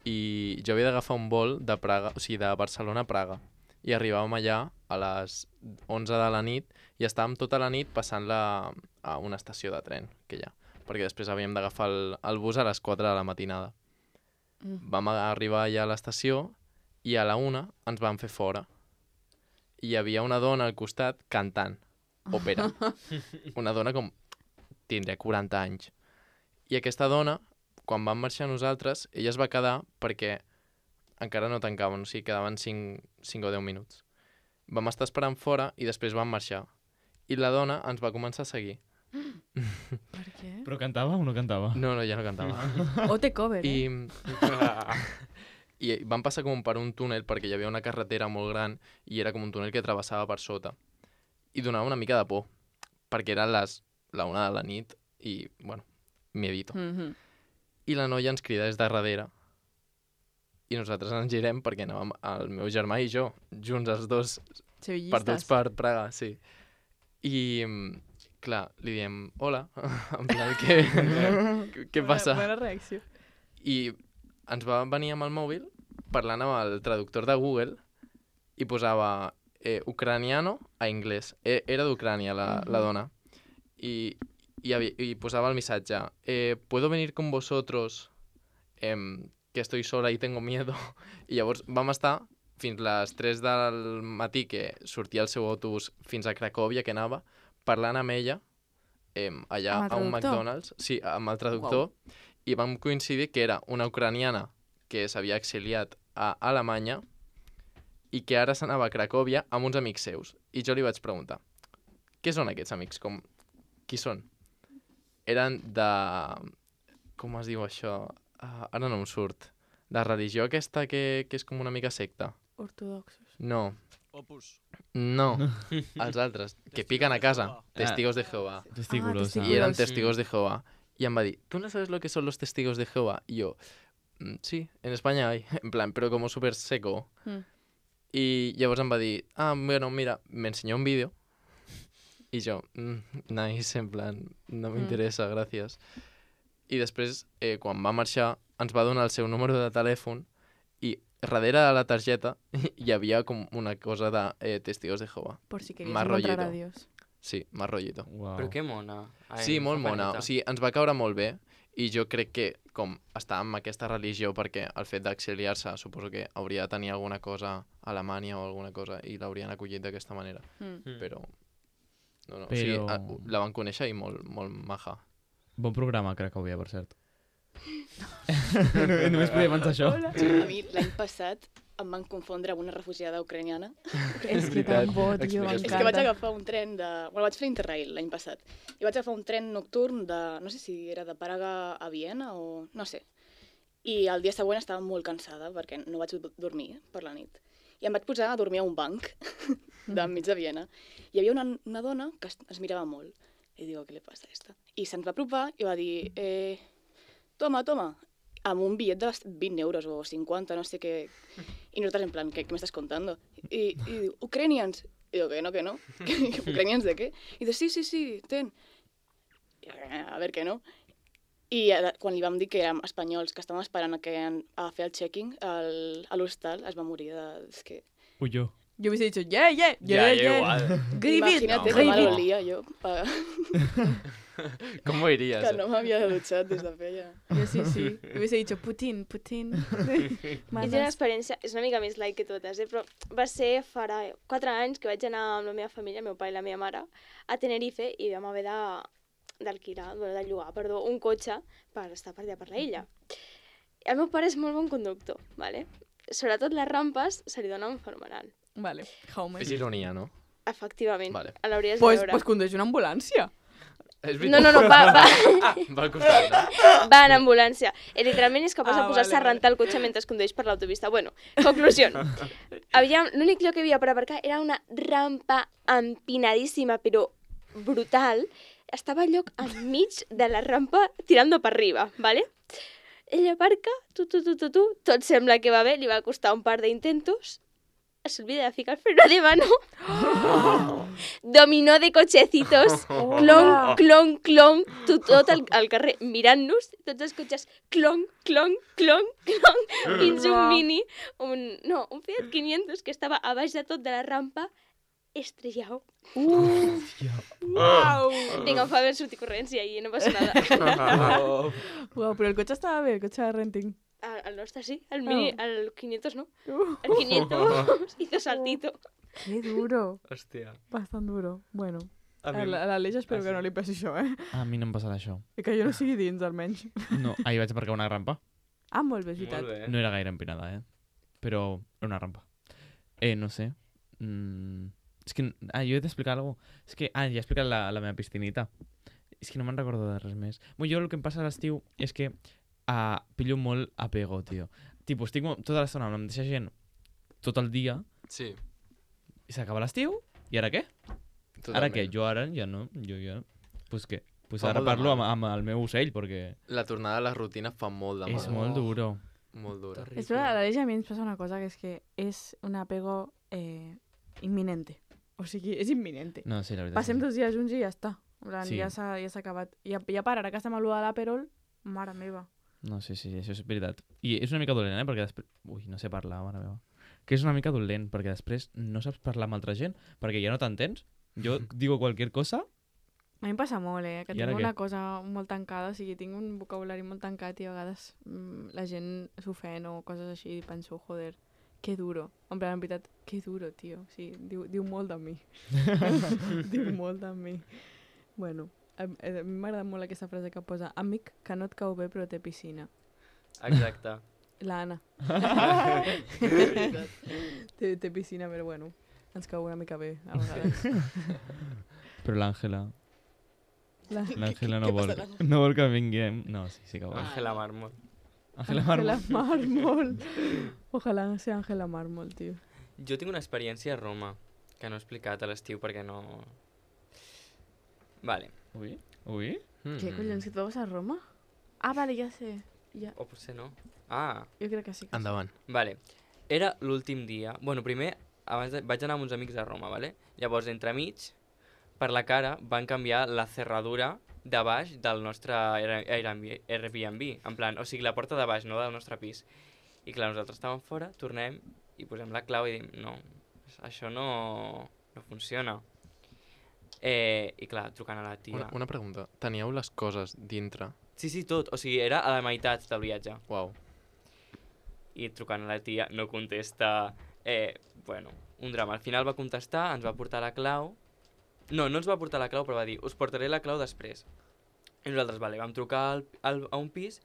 I jo havia d'agafar un vol de Praga, o sigui, de Barcelona a Praga. i arribàvem allà a les 11 de la nit i estàvem tota la nit passant-la a una estació de tren que hi ha, perquè després havíem d'agafar el bus a les 4 de la matinada. Vam arribar allà a l'estació i a la 1 ens van fer fora. I hi havia una dona al costat cantant òpera. Una dona com tindria 40 anys. I aquesta dona, quan vam marxar nosaltres, ella es va quedar perquè encara no tancaven, o sigui, quedaven 5 o 10 minuts. Vam estar esperant fora i després vam marxar. I la dona ens va començar a seguir. Per què? Però cantava o no cantava? No, ja no cantava. O té cover, I vam passar com per un túnel perquè hi havia una carretera molt gran i era com un túnel que travessava per sota. I donava una mica de por, perquè eren la 1 de la nit i, bueno, miedito. I la noia ens crida des de darrere i nosaltres ens girem perquè anàvem el meu germà i jo, junts els dos, perduts per Praga, sí. I, clar, li diem, hola, en plan, què passa? Bona reacció. I ens va venir amb el mòbil parlant amb el traductor de Google i posava ucraniano a anglès. Era d'Ucrània la dona. I posava el missatge ¿puedo venir con vosotros? Que estoy sola y tengo miedo. I llavors vam estar fins les 3 del matí que sortia el seu autobús fins a Cracòvia, que anava, parlant amb ella allà a un McDonald's, sí, amb el traductor, i vam coincidir que era una ucraniana que s'havia exiliat a Alemanya i que ara s'anava a Cracòvia amb uns amics seus. I jo li vaig preguntar, què són aquests amics? Qui són? Eren de... Com es diu això? Ara no em surt. De religió aquesta que és com una mica secta. Ortodoxos. No. Opus. No, els altres, que piquen a casa. Testigos de Jehová. Testículos. Y eran testigos de Jehová. Y em va dir, ¿tú no sabes lo que son los testigos de Jehová? Y yo, sí, en España hay. En plan, pero como súper seco. Y llavors em va dir, bueno, mira, me enseñó un vídeo. Y jo, nice, en plan, no m'interessa, gràcies. I després, quan va marxar, ens va donar el seu número de telèfon i darrere de la targeta hi havia com una cosa de testigos de Jehová. Por si querías encontrar a Dios. Sí, más rollito. Wow. Però que mona. Ai, Sí, molt fa mona. peneta. O sigui, ens va caure molt bé i jo crec que com està amb aquesta religió perquè el fet d'exiliar-se suposo que hauria de tenir alguna cosa a Alemanya o alguna cosa i l'haurien acollit d'aquesta manera. Però... No, o sigui, la van conèixer i molt maja. Bon programa, Cracòvia, per cert. Només podia pensar això. A mi l'any passat em van confondre amb una refugiada ucraniana. És que tan bo, tio, És que vaig agafar un tren de... Bueno, vaig fer Interrail l'any passat. I vaig agafar un tren nocturn de... No sé si era de Praga a Viena o... No sé. I el dia següent estava molt cansada perquè no vaig dormir per la nit. I em vaig posar a dormir a un banc d'enmig de Viena. Hi havia una dona que es mirava molt. I digo, què li passa a esta? I se'ns va apropar i va dir, toma, amb un bitllet de 20 euros o 50, no sé què. I nosaltres en plan, ¿qué me estás contando? Y digo, Ucranians. Y digo, que no. ¿Ucranians de qué? Y dice, sí, ten. I, a ver, que no. I quan li vam dir que érem espanyols, que estàvem esperant a fer el checking a l'hostal, es va morir de... És que... Uy, yo. Yo hubiese dicho, yeah. igual. Imagínate No, com no. l'olia jo. Com ho iries? Que no m'havia dutxat des de feia. Yo sí. Hubiese dicho Putin. És una experiència, és una mica més light que totes, però va ser farà 4 anys que vaig anar amb la meva família, el meu pare i la meva mare, a Tenerife i vam haver de llogar, un cotxe per estar per allà per l'illa. El meu pare és molt bon conductor, ¿vale? Sobretot les rampes se li donen fenomenal. Vale, Jaume. És ironia, no? Efectivament, Vale. l'hauries de veure. Pues condueix una ambulància. És No, va. va Va al costat, no? va en ambulància. Literalment és capaç de posar-se a vale. rentar el cotxe mentre condueix per l'autopista. Bueno, conclusió. L'únic lloc que hi havia per aparcar era una rampa empinadíssima, però brutal. Estava el lloc enmig de la rampa tirando per arriba, ¿vale? Ella aparca, tot sembla que va bé, li va costar un par d'intentos, s'olvida de ficar el freno de mano. Dominó de cochecitos. Clon, clon, clon. Tot el carrer mirant-nos. Tots els cotxes clon, clon, clon, clon. Fins un Mini, un Fiat 500 que estava a baix de tot de la rampa estrellado. Uau! Vinga, em fa haver sortit corrents i ahir no passa nada. Uau, però el cotxe estava bé, el cotxe de renting. El nostre sí, el Mini, el 500 no. El 500 hizo saltito. Qué duro. Hòstia. Bastant duro. Bueno, A mi- a l'Aleix espero Ah, que sí. no li passi això, eh? A mi no em passarà això. I que jo no sigui dins, almenys. No, ahir vaig aparcar una rampa. Ah, molt bé, és veritat. Molt bé. No era gaire empinada, Però era una rampa. No sé. És que... jo he d'explicar alguna cosa. És que... ja he explicat la meva piscinita. És que no me'n recordo de res més. Jo el que em passa a l'estiu és que pillo molt apego, tio. Tipo, estic tota l'estona amb la mateixa gent tot el dia Sí. i s'acaba l'estiu i ara què? Ara què? Jo ara ja no. Jo ja... Pues què? Pues Fa ara molt de parlo mal. amb el meu ocell perquè La tornada a la rutina fa molt de mal. és molt duro. Molt dura. És que a l'Aleix a mi ens passa una cosa, que és que és un apego imminente. O sigui, és imminente. No, sí, la veritat. Passem 2 dies junts i ja està. En plan, Sí. ja s'ha acabat. I a part, ara que estem a l'U de l'Aperol, mare meva. No, sí, això és veritat. I és una mica dolent, perquè després... Ui, no sé parlar, mare meva. Que és una mica dolent, perquè després no saps parlar amb altra gent, perquè ja no t'entens. Jo digo cualquier cosa... A mi em passa molt, que I ara tinc què? una cosa molt tancada, o sigui, tinc un vocabulari molt tancat i a vegades la gent s'ofèn o coses així i penso, joder, que duro. En plan, en veritat, que duro, tio. O sigui, diu molt de mi. Diu molt de mi. Bueno, a mi m'agrada molt aquesta frase que posa amic que no et cau bé però té piscina. Exacte. L'Anna. té piscina, però bueno, ens cau una mica bé, a vegades. Però l'Àngela... La- L'Àngela no què vol... passa, l'Àngela? No vol que vinguem... No, sí que vol. Àngela Mármol. Àngela Ángela Mármol. Mármol. Ojalá sea Ángela Mármol, tio. Jo tinc una experiència a Roma, que no he explicat a l'estiu perquè no... Vale. Ui? Ui? Què collons, que tu vas a Roma? Ah, vale, ja sé. Ja. O potser no. Ah, Jo crec que sí. Que Endavant. vale. Era l'últim dia... Bueno, primer vaig anar amb uns amics a Roma, vale? Llavors, entremig, per la cara, van canviar la cerradura de baix del nostre Airbnb. En plan, o sigui, la porta de baix, no del nostre pis. I clar, nosaltres estàvem fora, tornem i posem la clau i dic, no, això no funciona. I clar, trucant a la tia. Una pregunta. Teníeu les coses dintre? Sí, tot. O sigui, era a la meitat del viatge. Uau. I trucant a la tia no contesta. Bueno, un drama. Al final va contestar, ens va portar la clau. No ens va portar la clau, però va dir, us portaré la clau després. I nosaltres, vale, vam trucar a un pis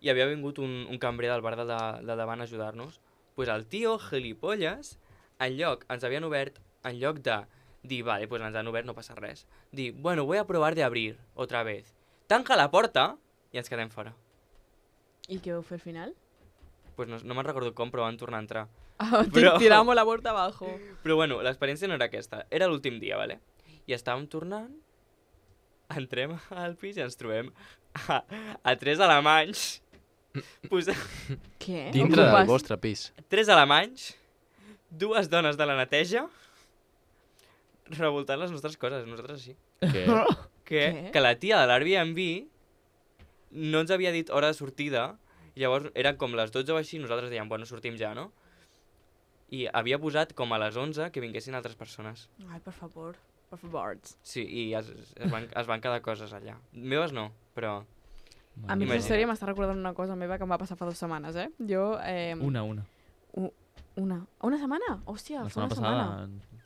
i havia vingut un cambrer del bar de davant a ajudar-nos. Pues el tio, gilipolles, ens havien obert, en lloc de dir, vale, pues ens han obert, no passa res. Dir, bueno, voy a probar de abrir otra vez. Tanca la porta i ens quedem fora. I què vau fer al final? Pues no me'n recordo com, però van tornar a entrar. Ah, Però- tiramos la porta abajo. Però bueno, l'experiència no era aquesta, era l'últim dia, vale? I estàvem tornant, entrem al pis i ens trobem a 3 alemanys, Què? Dintre del vostre pis. 3 alemanys, 2 dones de la neteja, revoltant les nostres coses, nosaltres sí. Què? Què? Que la tia de l'Airbnb no ens havia dit hora de sortida, i llavors eren com les 12 o així, nosaltres dèiem, bueno, sortim ja, no? I havia posat com a les 11 que vinguessin altres persones. Ai, per favor. Per favor. Sí, i es van quedar coses allà. Meves no, però... A mi Imagina't. aquesta història m'està recordant una cosa meva que em va passar fa 2 setmanes, Jo... Una. Una setmana? Hòstia, La fa una setmana setmana. passada...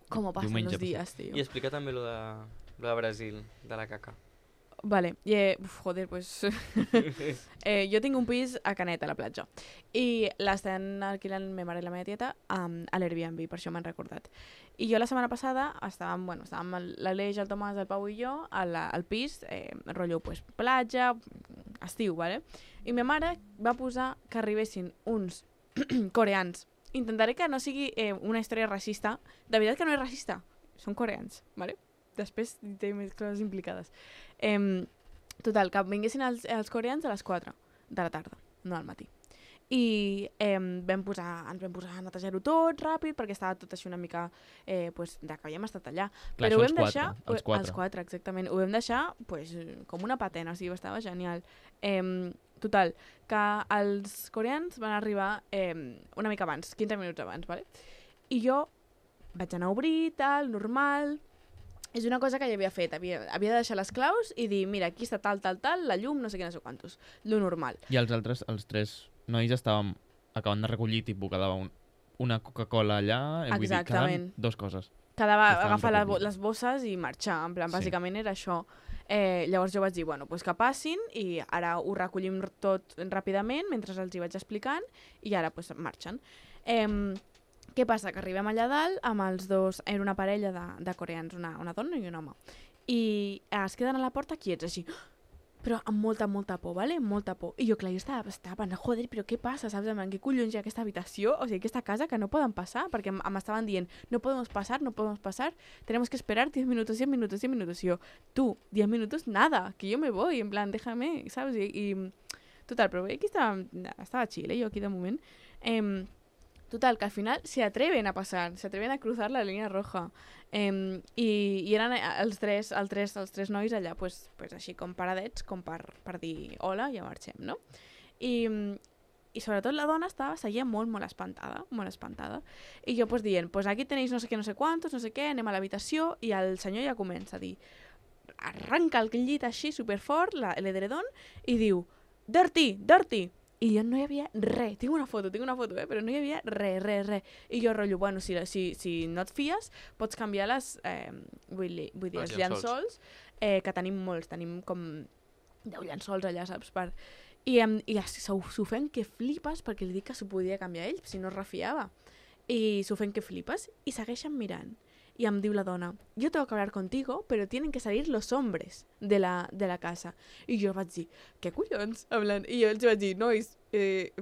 Com passen diumenge els dies, tio. I explica també lo de Brasil, de la caca. Vale, joder, pues... jo tinc un pis a Canet, a la platja. I l'estan alquilant ma mare i la meva tieta a l'Airbnb, per això m'han recordat. I jo la setmana passada estàvem l'Aleix, el Tomàs, el Pau i jo al pis, rotllo, pues, platja, estiu, vale? I ma mare va posar que arribessin uns coreans. Intentaré que no sigui una història racista. De veritat que no és racista. Són coreans, vale? Després té més coses implicades. Total, que vinguessin els coreans a les 4 de la tarda, no al matí. i ens vam posar a netejar-ho tot ràpid perquè estava tot així una mica pues, de que havíem estat allà. Clar, Però ho això vam deixar... els quatre. Els quatre, exactament. Ho vam deixar pues, com una patena, o sigui, estava genial. Total, que els coreans van arribar una mica abans, 15 minuts abans, ¿vale? I jo vaig anar a obrir, tal, normal... És una cosa que ja havia fet, havia de deixar les claus i dir, mira, aquí està tal, la llum, no sé què, no sé quantos. Lo normal. I els altres, els tres nois estàvem acabant de recollir, tipus, quedava una Coca-Cola allà, vull dir, quedaven dos coses. Quedava Estaven agafar recollint. les bosses i marxar, en plan, Sí. bàsicament era això. Llavors jo vaig dir, bueno, pues que passin i ara ho recollim tot ràpidament mentre els hi vaig explicant i ara pues marxen. Què passa? Que arribem allà dalt amb els dos, era una parella de coreans, una dona i un home. I es queden a la porta quiets, així, però amb molta por, ¿vale? Molta por. I jo, clar, jo estava pensant, joder, però què passa, saps? Què collons hi ha aquesta habitació, o sigui, aquesta casa que no poden passar, perquè m'estaven dient, no podemos pasar, tenemos que esperar 10 minutos. Y yo, tú, 10 minutos, nada, que yo me voy, en plan, déjame, ¿sabes? Y total, però aquí estava chill, jo aquí de moment. Total, que al final se atreven a pasar, se atreven a cruzar la línia roja. I eren els tres nois allà, pues així com paradets, com per dir hola, ja marxem, no? I sobretot la dona seguia molt espantada. I jo pues dient, pues aquí tenéis no sé què, no sé quantos, no sé què, anem a l'habitació, i el senyor ja comença a dir, arranca el llit així superfort, l'edredon, i diu, dirty! I jo no hi havia res, tinc una foto, però no hi havia res. I jo rotllo, bueno, si no et fies, pots canviar vull dir, els llençols, que tenim molts, tenim com 10 llençols allà, saps? I s'ofèn que flipes, perquè li dic que s'ho podia canviar ell, si no es refiava. I s'ofèn que flipes, i segueixen mirant. Y em diu la dona, yo tengo que hablar contigo, pero tienen que salir los hombres de la casa. I jo vaig dir, què collons? I jo els vaig dir, nois,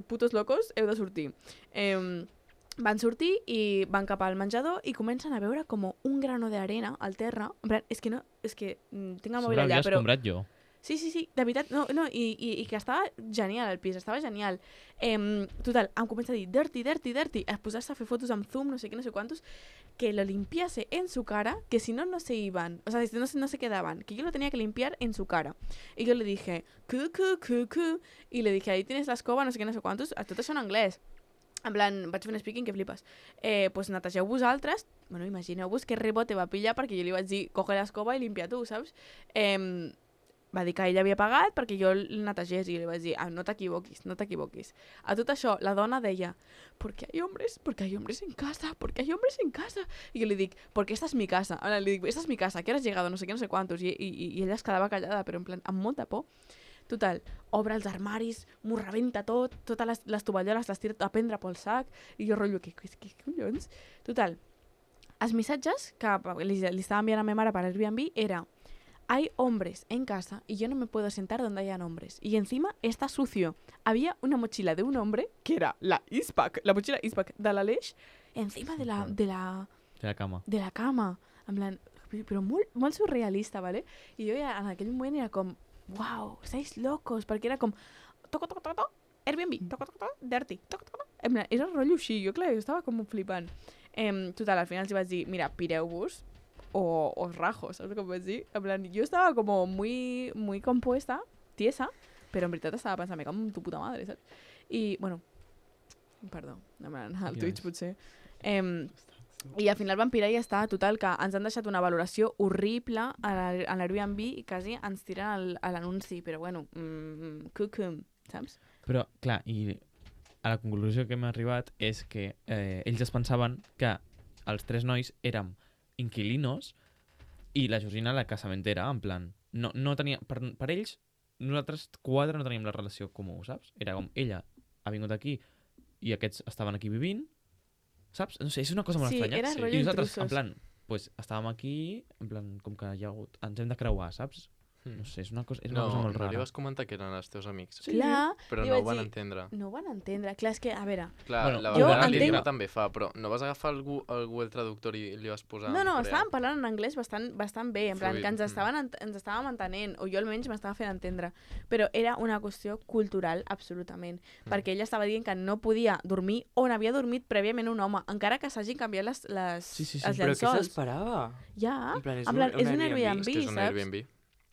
putos locos, heu de sortir. Van sortir i van cap al menjador i comencen a veure com un grano d'arena al terra. En plan, és que tinc el mòbil allà, però... escombrat jo. Sí, de veritat, no, i que estava genial el pis, estava genial. Total, em comença a dir, dirty, a posar-se a fer fotos amb zoom, no sé què, no sé quantos, que lo limpiase en su cara, que si no se iban, o sea, no se quedaban, que yo lo tenía que limpiar en su cara. Y yo le dije, cu, y le dije, ahí tienes la escoba, no sé què, no sé quantos, tot això en anglès. En plan, vaig fer un speaking que flipes. Pues netegeu vosaltres, bueno, imagineu-vos que rebote va pillar perquè jo li vaig dir, coge l'escoba i limpia tu, saps? Va dir que ell havia pagat perquè jo el netegés i li vaig dir, no t'equivoquis. A tot això, la dona deia, ¿por qué hay hombres en casa? I jo li dic, porque esta es mi casa. Ahora le dic, esta es mi casa, ¿qué hora has llegado? No sé qué, no sé cuántos. I ella es quedava callada, però en plan, amb molta por. Total, obre els armaris, m'ho rebenta tot, totes les tovalloles les tira a prendre pel sac, i jo rotllo, què collons? Total, els missatges que li estava enviant a ma mare per Airbnb era, hay hombres en casa y yo no me puedo sentar donde hayan hombres. Y encima está sucio. Había una mochila de un hombre, que era la mochila Eastpak de l'Aleix, encima de la cama. De la cama. En plan, però molt surrealista, ¿vale? I jo ja en aquell moment era com, wow, estáis locos, perquè era com, toco, Airbnb, toco, dirty, toco. En plan, era rotllo així, jo clar, jo estava com flipant. Total, al final els vaig dir, mira, pireu-vos, o os rajo, ¿sabes cómo decir? En plan, yo estaba como muy compuesta, tiesa, pero en veritat estava pensant, me cago en tu puta madre, ¿sabes? I, bueno, perdó, en plan, al Twitch potser. I al final van pirar i ja està, total, que ens han deixat una valoració horrible a l'Airbnb i quasi ens tiren a l'anunci, però bueno, cucum, saps? Però, clar, i a la conclusió que hem arribat és que ells es pensaven que els tres nois érem inquilinos i la Georgina la casamentera, en plan, no tenia, per ells, nosaltres quatre no teníem la relació comú, saps? Era com, ella ha vingut aquí i aquests estaven aquí vivint, saps? No sé, és una cosa molt estranya. Era rotllo I nosaltres, intrusos. en plan, pues, estàvem aquí, en plan, com que hi ha hagut, ens hem de creuar, saps? No sé, és una cosa No, molt no rara. li vas comentar que eren els teus amics. Clar, Però li no ho vaig van dir- entendre. no ho van entendre. Clar, és que, a veure... Clar, Bueno, la jo vegada entenc- també fa, però no vas agafar el Google Traductor i li vas posar No, en coreà? estàvem parlant en anglès bastant bé, en plan Fluid. que ens estàvem entenent, o jo almenys m'estava fent entendre, però era una qüestió cultural, absolutament, perquè ella estava dient que no podia dormir on havia dormit prèviament un home, encara que s'hagin canviat els Però què llençols. s'esperava? Ja, En plan, és en plan, un és un Airbnb, Airbnb, És que és un saps? Airbnb.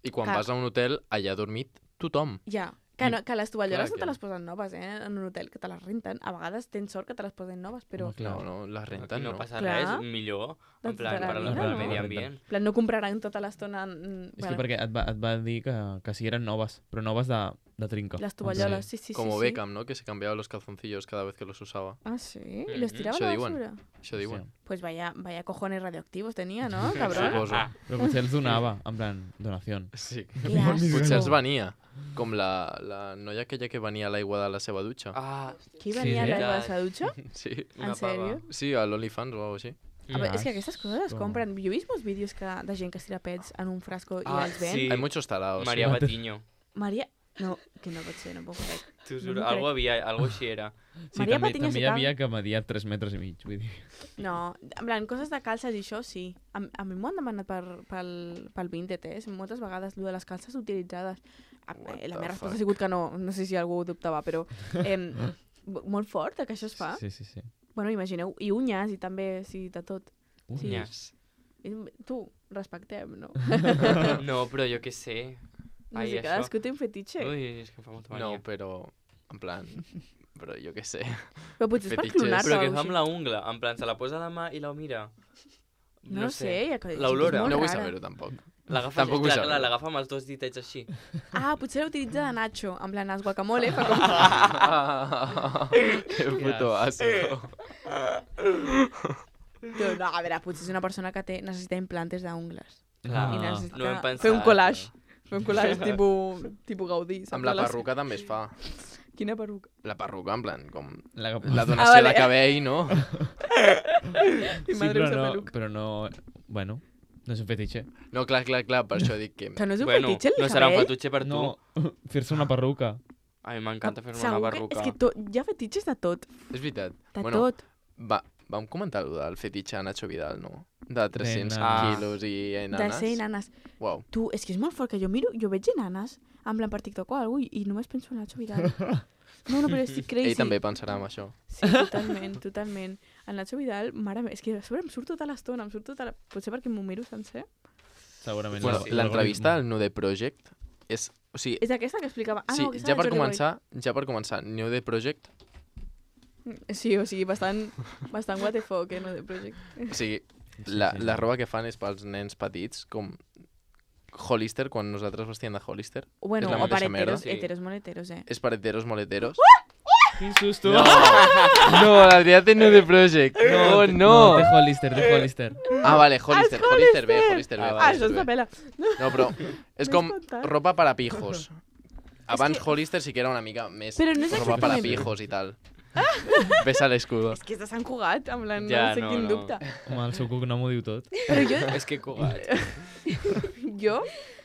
I quan Que- vas a un hotel, allà ha dormit tothom. Ja, que, no, que les tovalloles Clar no que- te les posen noves, en un hotel, que te les renten. A vegades tens sort que te les posen noves, però... Home, clar. No, les Aquí renten, no no. passa Clar. res, millor. De En plan, tota la per vida, al no? medi ambient. En plan, no compraran tota l'estona... És que perquè et va dir que sí eren noves, però noves de trinca. Les tovalloles, sí. Como Beckham, ¿no? Que se cambiaba los calzoncillos cada vez que los usaba. Ah, sí? ¿Y los tiraba a Això la diuen. basura? Això diuen. Pues vaya cojones radioactivos tenía, ¿no, cabrón? Suposo. Però potser els donava, en plan, donació. Sí. Que asco. Potser els venia. Com la noia aquella que venia a l'aigua de la seva dutxa. Ah, Qui venia Sí, a l'aigua de veritat. sa dutxa? Sí. En sèrio? Sí, a l'OnlyFans o alguna cosa així. A veure, és que aquestes coses es Asco. compren. Jo he vist molts vídeos de gent que es tira pets en un frasco i Ah, els ven. sí. Hay muchos tarados. Maria Patiño. Maria... No, que no pot ser, no puc crec. T'ho No juro, m'ho algo crec. havia, algo així era. Sí, Maria també, Patiño també se hi cal- havia que media 3 metres i mig, vull dir. No, en plan, coses de calces i això sí. A mi m'ho han demanat pel Vinted, moltes vegades, lo de les calces utilitzades. La meva resposta ha sigut que no sé si algú ho dubtava, però molt fort que això es fa. Sí. Bueno, imagineu, i unyes i també, sí, de tot. Sí. Unyes. Tu, respectem, no? No, però jo què sé. No Ai, sé, això. cadascú té un fetitxe. Ui, és que em fa molta mania. No, però... En plan... Però jo què sé. Però potser és per fetitxes. clonar-te Però o què alguna fa amb cosa la ungla? En plan, se la posa a la mà i la mira. No sé, ja que- L'olora. és molt No vull rara. saber-ho, tampoc. L'agafa Tampoc vull clar, saber-ho. l'agafa amb els dos ditets així. Ah, potser l'utilitza de Nacho, en plan, els guacamole, fa com... Que puto asco. No, a veure, potser és una persona que necessita implantes d'ungles. Clar, I Ah. necessita no hem pensat. fer un collage. Fer un collage tipus Gaudí. saps? Amb la De les- perruca també es fa. Quina perruca? La perruca, en plan, com... La, La donació vale. de cabell, no? Mi sí, madre però usa no, peluca. però no... Bueno, no és un fetitxe. No, clar, per això dic que... Que no és un Bueno, fetitxe el no serà un cabell? fetutxe per tu. No, fer-se una perruca. A mi m'encanta fer-me Segur una que- barruca. És que hi ha fetitxes de tot. És veritat. De bueno, tot. Vam comentar allò del fetitxe de Nacho Vidal, no? De 300 nanes. quilos i De enanes. ser nanes. Uau. Tu, és que és molt fort que jo veig nanes, en plan per TikTok o alguna cosa, i només penso en Nacho Vidal. No, però estic crazy. Ell també pensarà en això. Sí, totalment. El Nacho Vidal, mare meva, és que a sobre em surt tota l'estona, potser perquè m'ho miro sencer. Segurament. Bueno, sí, l'entrevista al Nude Project és... O sigui, És aquesta que explicava... Ah, sí, no, aquesta ja de per Jordi començar, Nude Project, Boy. Sí, o sigui, bastant what the fuck, no, de project. o sigui, Sí, la roba que fan és pels nens petits, com Hollister, quan nosaltres vestíem de Hollister. Bueno, És la o per mateixa merda. heteros, heteros molt heteros, És per heteros molt heteros. Quin susto! No, no, l'Adrià té Nude Project. Oh, no. De Hollister. Ah, vale, Hollister bé. Ah, això està pela. No, però és com contat. ropa para pijos. Abans Hollister sí que era una mica més Però no és roba para exactament- pijos i tal. Ves a l'escudo. És que és de Sant Cugat, en plan, Ja, no sé no, quin no. dubte. Home, el seu cognom ho diu tot. Però jo, És que cugat. jo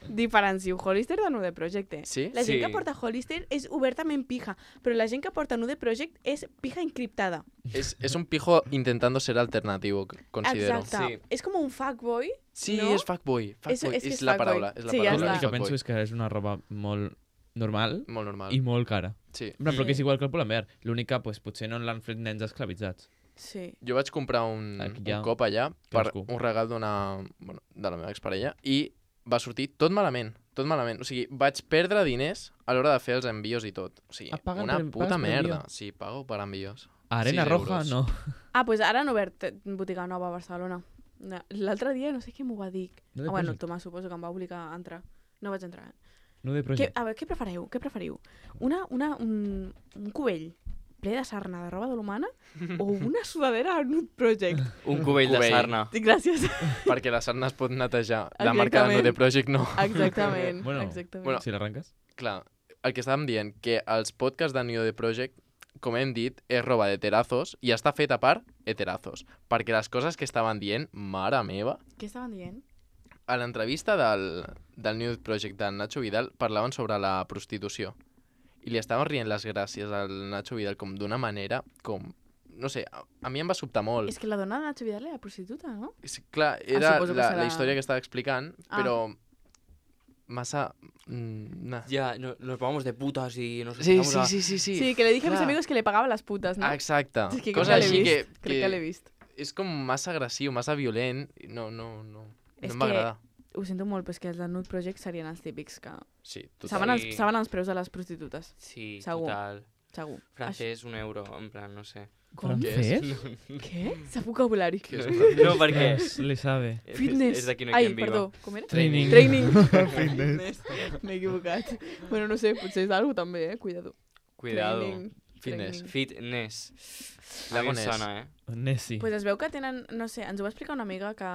diferencio Hollister de Nude Project. Sí? La gent Sí. que porta Hollister és obertament pija, però la gent que porta Nude Project és pija encriptada. És un pijo intentando ser alternativo, considero. Exacte. Sí. És com un fuckboy. Sí, no? és fuckboy. És que És és la fuckboy. paraula. És la Sí, ja paraula. Jo està. l'únic que penso és que és una roba molt normal Molt normal. i molt cara. Sí. En plan, però que és igual que el Pull&Bear. L'únic que pues, potser no l'han fet nens esclavitzats. Sí. Jo vaig comprar un Aquí ja. cop allà per Cadascú. un regal de la meva exparella i va sortir tot malament. O sigui, vaig perdre diners a l'hora de fer els envios i tot. O sigui, Ah, paguen una per- puta pagues per merda. envío? Sí, pago per envios. Arena 6 Roja, euros. no. Ah, doncs ara han obert botiga nova a Barcelona. L'altre dia no sé què m'ho va dir. Nude Bueno, Project. Tomàs suposo que em va obligar a entrar. No vaig entrar. Nude Project. A veure, què preferiu? Un cubell ple de sarna de roba de l'humana o una sudadera al Nude Project? Un cubell de Cubell. sarna. Sí, gràcies. Perquè la sarna es pot netejar. La marca de Exactament. Nude Project no. Exactament. Bueno, exactament. bueno, Si l'arrenques? Clar, el que estàvem dient, que els podcasts de Nude Project, com hem dit, és roba d'heterazos i està feta per heterazos. Perquè les coses que estaven dient, mare meva, Què estaven dient? a l'entrevista del Nude Project de Nacho Vidal parlaven sobre la prostitució. I li estaven rient les gràcies al Nacho Vidal com d'una manera com... No sé, a mi em va sobtar molt. És que la dona de Nacho Vidal era prostituta, no? Clar, era suposo que serà- la història que estava explicant, Ah. però massa... nah. Ya, nos vamos de putas y nos Sí, empezamos a... sí. Sí, que le dije a mis Clar. amigos que le pagaba las putas, ¿no? Ah, exacte. És que Cosa crec que així l'he vist. que Crec que l'he vist. és com massa agressiu, massa violent. No És em va que- agradar. Ho sento molt, però és que els de Nude Project serien els típics que... Sí, Saben total. Sí. saben els preus de les prostitutes, Sí, Segur. total. segur. Francés, €1, en plan, no sé. Com? Què és? ¿Francés? Què? Sa vocabulari. Què és? No, perquè... Yes, le sabe. Fitness. És d'aquí no hi Ai, ha viva. perdó, com era? Training. Training. Fitness. M'he equivocat. Bueno, no sé, potser és d'algú també, Cuidado. Cuidado. Training. Fitness. Training. Fitness. La A mi em Gonès. sona, Nessie. Pues es veu que tenen, no sé, ens ho va explicar una amiga que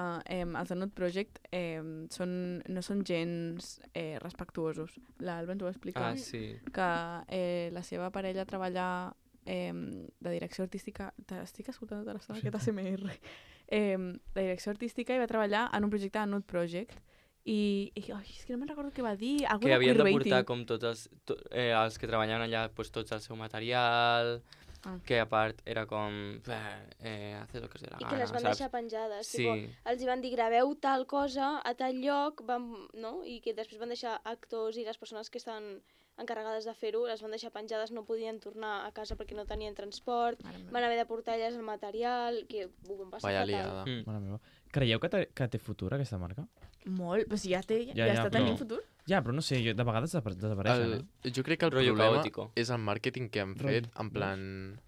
els de Nude Project no són gens respectuosos. L'Alba ens ho va explicar. Ah, sí. Que la seva parella treballa de direcció artística... Estic escoltant tota l'estona aquest ASMR. De direcció artística i va treballar en un projecte de Nude Project i ai, és que no me'n recordo què va dir. Algú Que de havien de queerbaiting. portar com tots els que treballaven allà, pues, tots el seu material, Ah. que a part era com... hace lo que se la I gana, que les van saps? deixar penjades. Sí. Els hi van dir, graveu tal cosa a tal lloc, no? I que després van deixar actors i les persones que estan encarregades de fer-ho, les van deixar penjades, no podien tornar a casa perquè no tenien transport, Mare meva. van haver de portar elles el material, que ho van passar Vaya fatal. liada. Mm. Mare meva. Creieu que té futur aquesta marca? Molt, però si ja Ja, està però- tenint futur. Ja, però no sé, de vegades desapareixen, Jo crec que el Rollo problema caótico. és el màrqueting que han fet, Rotllo. en plan...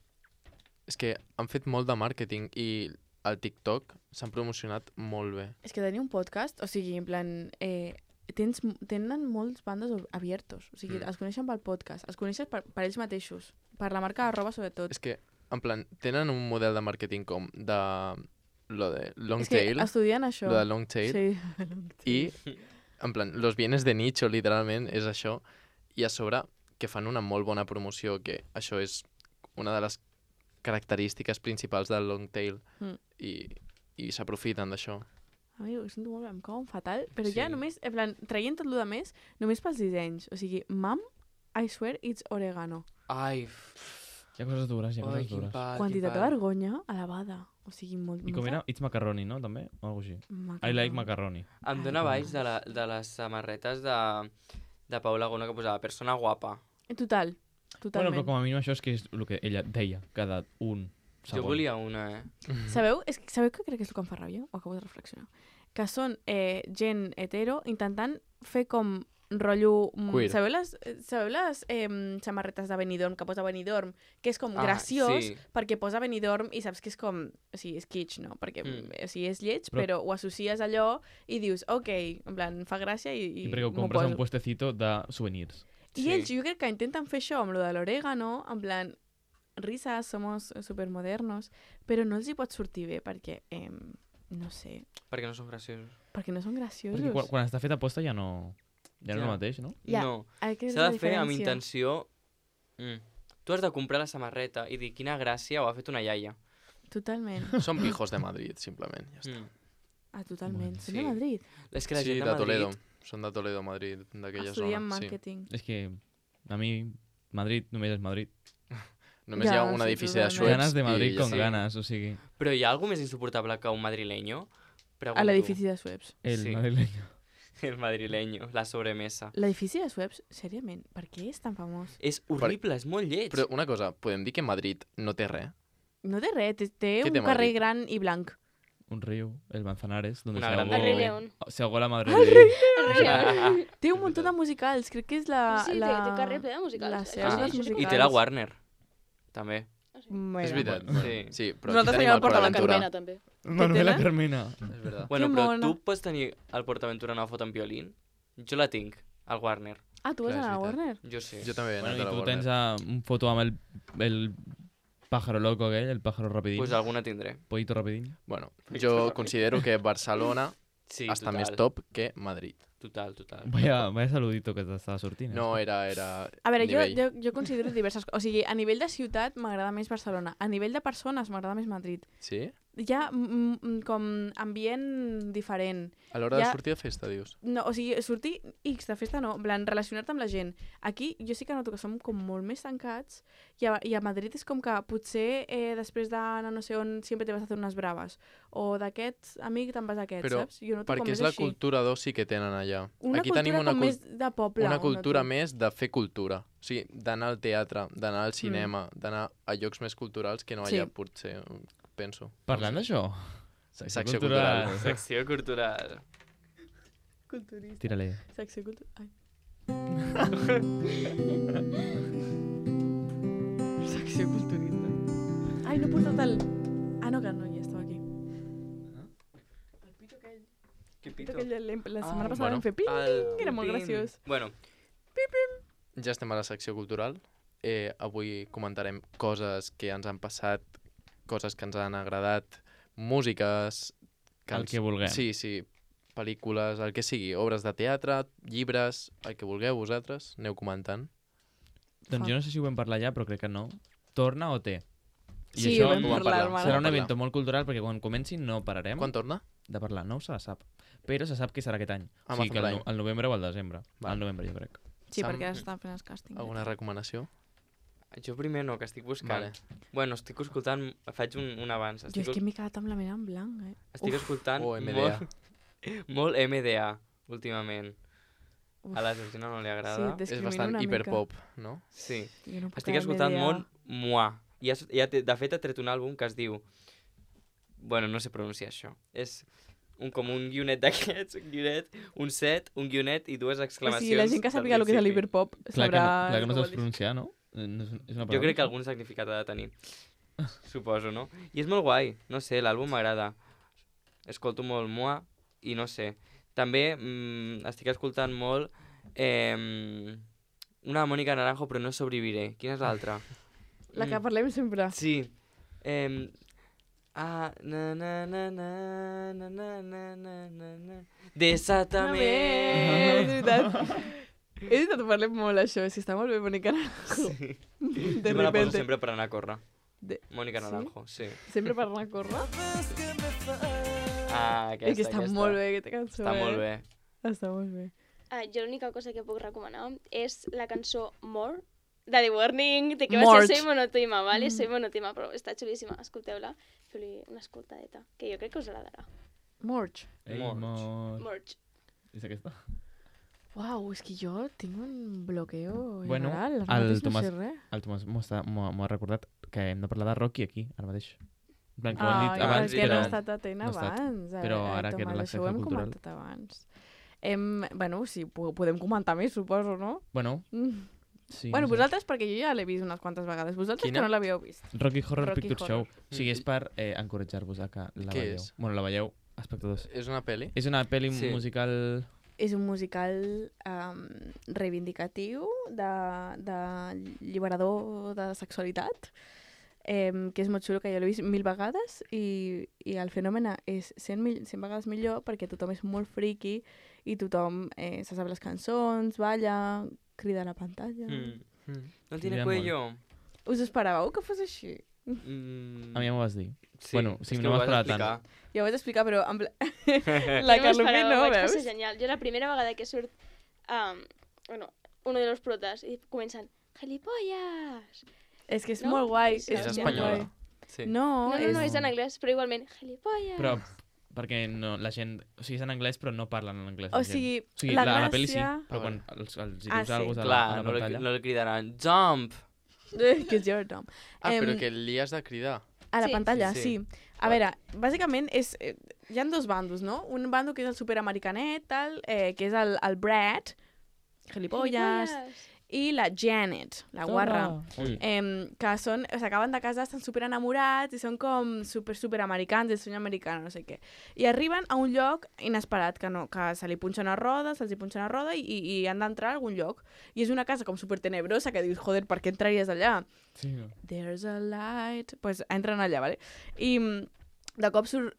És que han fet molt de màrqueting i al TikTok s'han promocionat molt bé. És que tenir un podcast, o sigui, en plan... tenen molts bandes abiertos. O sigui, els coneixen pel podcast, els coneixen per ells mateixos, per la marca arroba sobretot. És que, en plan, tenen un model de màrqueting com de... Lo de long És que tail, estudien això. lo de long tail, Sí. i, en plan, los bienes de nicho, literalment, és això, i a sobre que fan una molt bona promoció, que això és una de les característiques principals del long tail, Mm. i s'aprofiten d'això. Amigo, ho sento molt, em cau fatal, però ja Sí. només, en plan, traient tot el de més, només pels dissenys. O sigui, mam, I swear it's oregano. Ai, Hi ha coses dures, hi ha ai, coses quin dures. pal, Quantitat quin de pal. vergonya elevada. O sigui, molt... I com era? It's macaroni, no? També? O alguna cosa així. I like macaroni. Em dóna baix de les samarretes de Paula Gona que posava persona guapa. Total, Bueno, totalment. però com a mínim això és que és el que ella deia cada un segon. Jo volia una, Sabeu què crec que és el que em fa ràbia? Ho acabo de reflexionar. Que són gent hetero intentant fer com rotllo... Queer. Sabeu les samarretes de Benidorm, que posa Benidorm, que és com graciós, sí. perquè posa Benidorm i saps que és com... O sigui, és kitsch, no? Perquè o sigui, és lleig, Però- però ho associes a allò i dius, ok, en plan, fa gràcia i I perquè ho m'ho compres a un poso. puestecito de souvenirs. I Sí. ells jo crec que intenten fer això amb lo de l'orégano, en plan, risas, somos supermodernos, però no els hi pot sortir bé perquè, no sé, Perquè no són graciosos. perquè no són graciosos. Perquè quan està fet a posta ja no és el Ja. mateix, no? Ja, No, aquesta és s'ha la de fer amb diferència. intenció... Tu has de comprar la samarreta i dir quina gràcia ho ha fet una iaia. Totalment. Són pijos de Madrid, simplement. Ja està. Totalment. Són sí. de Madrid. És que la Sí, gent de de Madrid... Toledo. Són de Toledo, Madrid, d'aquella Estudien zona. Sí. màrqueting. És que a mi Madrid només és Madrid. Només hi ha Ja, un sí, edifici de totalment. Schweppes Ganes de Madrid i con ja està. ganas, o sigui... Però hi ha algú més insuportable que un madrileño? Pregunto. A l'edifici de Sueps. El Sí. madrileño. El madrileño, la sobremesa. L'edifici de Sueps, seriament, per què és tan famós? És horrible, és molt lleig. Però una cosa, podem dir que Madrid no té res? No té res, té Què un té carrer Madrid? gran i blanc. Un río, el Manzanares, donde Una se gran ahogó, El Rei León. se ahogó la madre El de... Rei Té un munt de musicals, crec que és la... Sí, té carrer ple de musicals. Les Això seus sí, dels això sí que musicals. I té la Warner, també. Mira. És veritat. Sí. Bueno, sí, però Nosaltres aquí tenim tenim el el Port La PortAventura. Carmena, també. Manuela tenen? Carmena. És veritat. Bueno, Que però mona. tu pots tenir al PortAventura una foto en violín? Jo la tinc, al Warner. Ah, tu vas Clar, és a la veritat. Warner? Jo sí. Jo també he Bueno, anat a i la tu Warner. tens un foto amb el pájaro loco aquell, el pájaro rapidín, Pues alguna tindré. pollito rapidín. Bueno, jo considero que Barcelona Sí, està total. més top que Madrid. Total, total. Vaya saludito que t'estava sortint. No, era A veure, nivell. jo considero diverses coses. O sigui, a nivell de ciutat m'agrada més Barcelona. A nivell de persones m'agrada més Madrid. Sí? hi ha com ambient diferent. A l'hora de Ja- sortir a festa, dius? No, o sigui, sortir X de festa no, en plan, relacionar-te amb la gent. Aquí jo sí que noto que som com molt més tancats i a Madrid és com que potser després d'anar no sé on sempre te vas a fer unes braves. O d'aquest amic te'n vas a aquest, Però saps? Jo noto com perquè més és la així. cultura d'oci que tenen allà. Una Aquí cultura tenim una, com més de poble. una ho cultura noto. més de fer cultura. O sigui, d'anar al teatre, d'anar al cinema, d'anar a llocs més culturals que no Sí. allà, potser, penso. Parlant d'això, Secció cultural. Secció cultural. Culturista. Tira-li. Secció cultural. Ai. Secció culturista. Ai, no he portat el... Ah, no, que no, ja estava aquí. El pito aquell. Que El pito pito. aquell, la setmana passada bueno, vam fer ping, era molt Pim. graciós. Bueno, Ja estem a la secció cultural. Avui comentarem coses que ens han passat, coses que ens han agradat, músiques... El que vulguem. Sí, sí, pel·lícules, el que sigui, obres de teatre, llibres, el que vulgueu vosaltres, aneu comentant. Doncs jo no sé si ho vam parlar ja, però crec que no. Torna o té? I Sí, això ho vam ho vam parlar, parlar. hermano. serà un parlar. event molt cultural perquè quan comenci no pararem Quan torna? de parlar. No se la sap. Però se sap que serà aquest any. Ah, o sigui que Amazon Prime. al novembre o al desembre. Val. Al novembre, jo crec. Sí, Sam, perquè ara estan fent els càstings. Alguna recomanació? jo primer no, que estic buscant. Vale. Bueno, estic escoltant... Faig un abans. Jo és que m'he quedat amb la ment en blanc, Estic escoltant O MDA. molt MDA, últimament. Uf. A la Georgina no li Sí, agrada. des- És Discrimina bastant una mica. hiperpop, no? Sí. Jo no puc Estic amb escoltant MDA. molt Moi. De fet, ha tret un àlbum que es diu... Bueno, no sé pronunciar això. És com un guionet d'aquests, un guionet, un set, un guionet i dues O exclamacions. sigui, la gent que del sàpiga el que és principi. l'hiperpop Clar que sabrà... no, clar que no què saps vol dir. pronunciar, no? És una Jo crec que algun significat ha de tenir. Suposo, no? I és molt guai. No sé, l'àlbum m'agrada. Escolto molt Moi i no sé. També estic escoltant molt una de Mónica Naranjo, però no sobreviviré. Quina és l'altra? La que parlem sempre. Sí. Na na na na na na na na na Desátame. És veritat. És veritat, ho parlem molt, això. Si està molt bé, Mónica Naranjo. Sí. De Jo me la poso repente. sempre per anar a córrer. De- Mónica sí? Naranjo, sí. Sempre per anar a córrer. Aquesta, És que està molt bé, aquesta cançó. Està molt bé. Està molt bé. Jo l'única cosa que puc recomanar és la cançó More, de The Warning, de que va Mort. ser Soy Monotima, ¿vale? Soy Monotima, però està xulíssima, escolteu-la, feu-li una escoltadeta, que jo crec que us agradarà. Morch. Ei, Morts. mort. Morch. És aquesta? Uau, és que jo tinc un bloqueo Bueno, general. Ara el mateix Tomàs- no sé res. El Tomàs m'ho ha recordat que hem de parlar de Rocky aquí, ara mateix. En plan, que ho han dit Ah, abans, que no però... he estat atent no he estat. abans. Però ara que era Tomàs, la això ho secció hem cultural. comentat abans. Bueno, sí, podem comentar més, suposo, no? Bueno, Mm. sí. Bueno, no sé. vosaltres, perquè jo ja l'he vist unes quantes vegades. Vosaltres Quina? que no l'havíeu vist. Rocky Horror Rocky Picture Horror. Show. O sigui, és per encoratjar-vos a que la Què veieu. és? Bueno, la veieu, espectadors. És una pel·li? És una pel·li Sí. musical... És un musical reivindicatiu, de lliberador de sexualitat, que és molt xulo, que jo l'he vist 1000 vegades i el fenomen és 100 vegades millor perquè tothom és molt friki i tothom se sap les cançons, balla, crida a la pantalla. No Crida tiene molt. cuello. Us esperàveu que fos així? A mi ja m'ho vas dir. Sí, Bueno, sí, és que no ho vas vas esperar tant. explicar. Ja ho vaig explicar, però la Jo Carlopi m'esperava, no, vaig veus? passar genial. Jo la primera vegada que surt, bueno, uno de los protas, i comencen, gilipollas! És que és No? molt guai. És És molt espanyola. guai. Sí. No, No, és en anglès, però igualment, gilipollas! Però perquè no, la gent... O sigui, és en anglès, però no parlen en anglès. O la gent. sigui, o sigui la la pel·li sí, gràcia- però Ah, quan els hi Ah, dius sí. alguna cosa a Clar, la no pantalla... li cridaran jump. que és Jordan. Ah, però que li has de cridar. A la Sí. pantalla, Sí, sí. sí. A veure, bàsicament hi ha dos bandos, no? Un bando que és el superamericanet, que és el Brad, gilipolles, i la Janet, la guarra. Ui. Que s'acaben de casar, estan super enamorats i són com superamericans, el sueño americano, no sé què. I arriben a un lloc inesperat, que se li punxen a roda, se'ls hi punxen a roda i han d'entrar a algun lloc. I és una casa com super tenebrosa que dius, joder, per què entraries allà? Sí, no. There's a light... Pues entren allà, vale? I de cop surt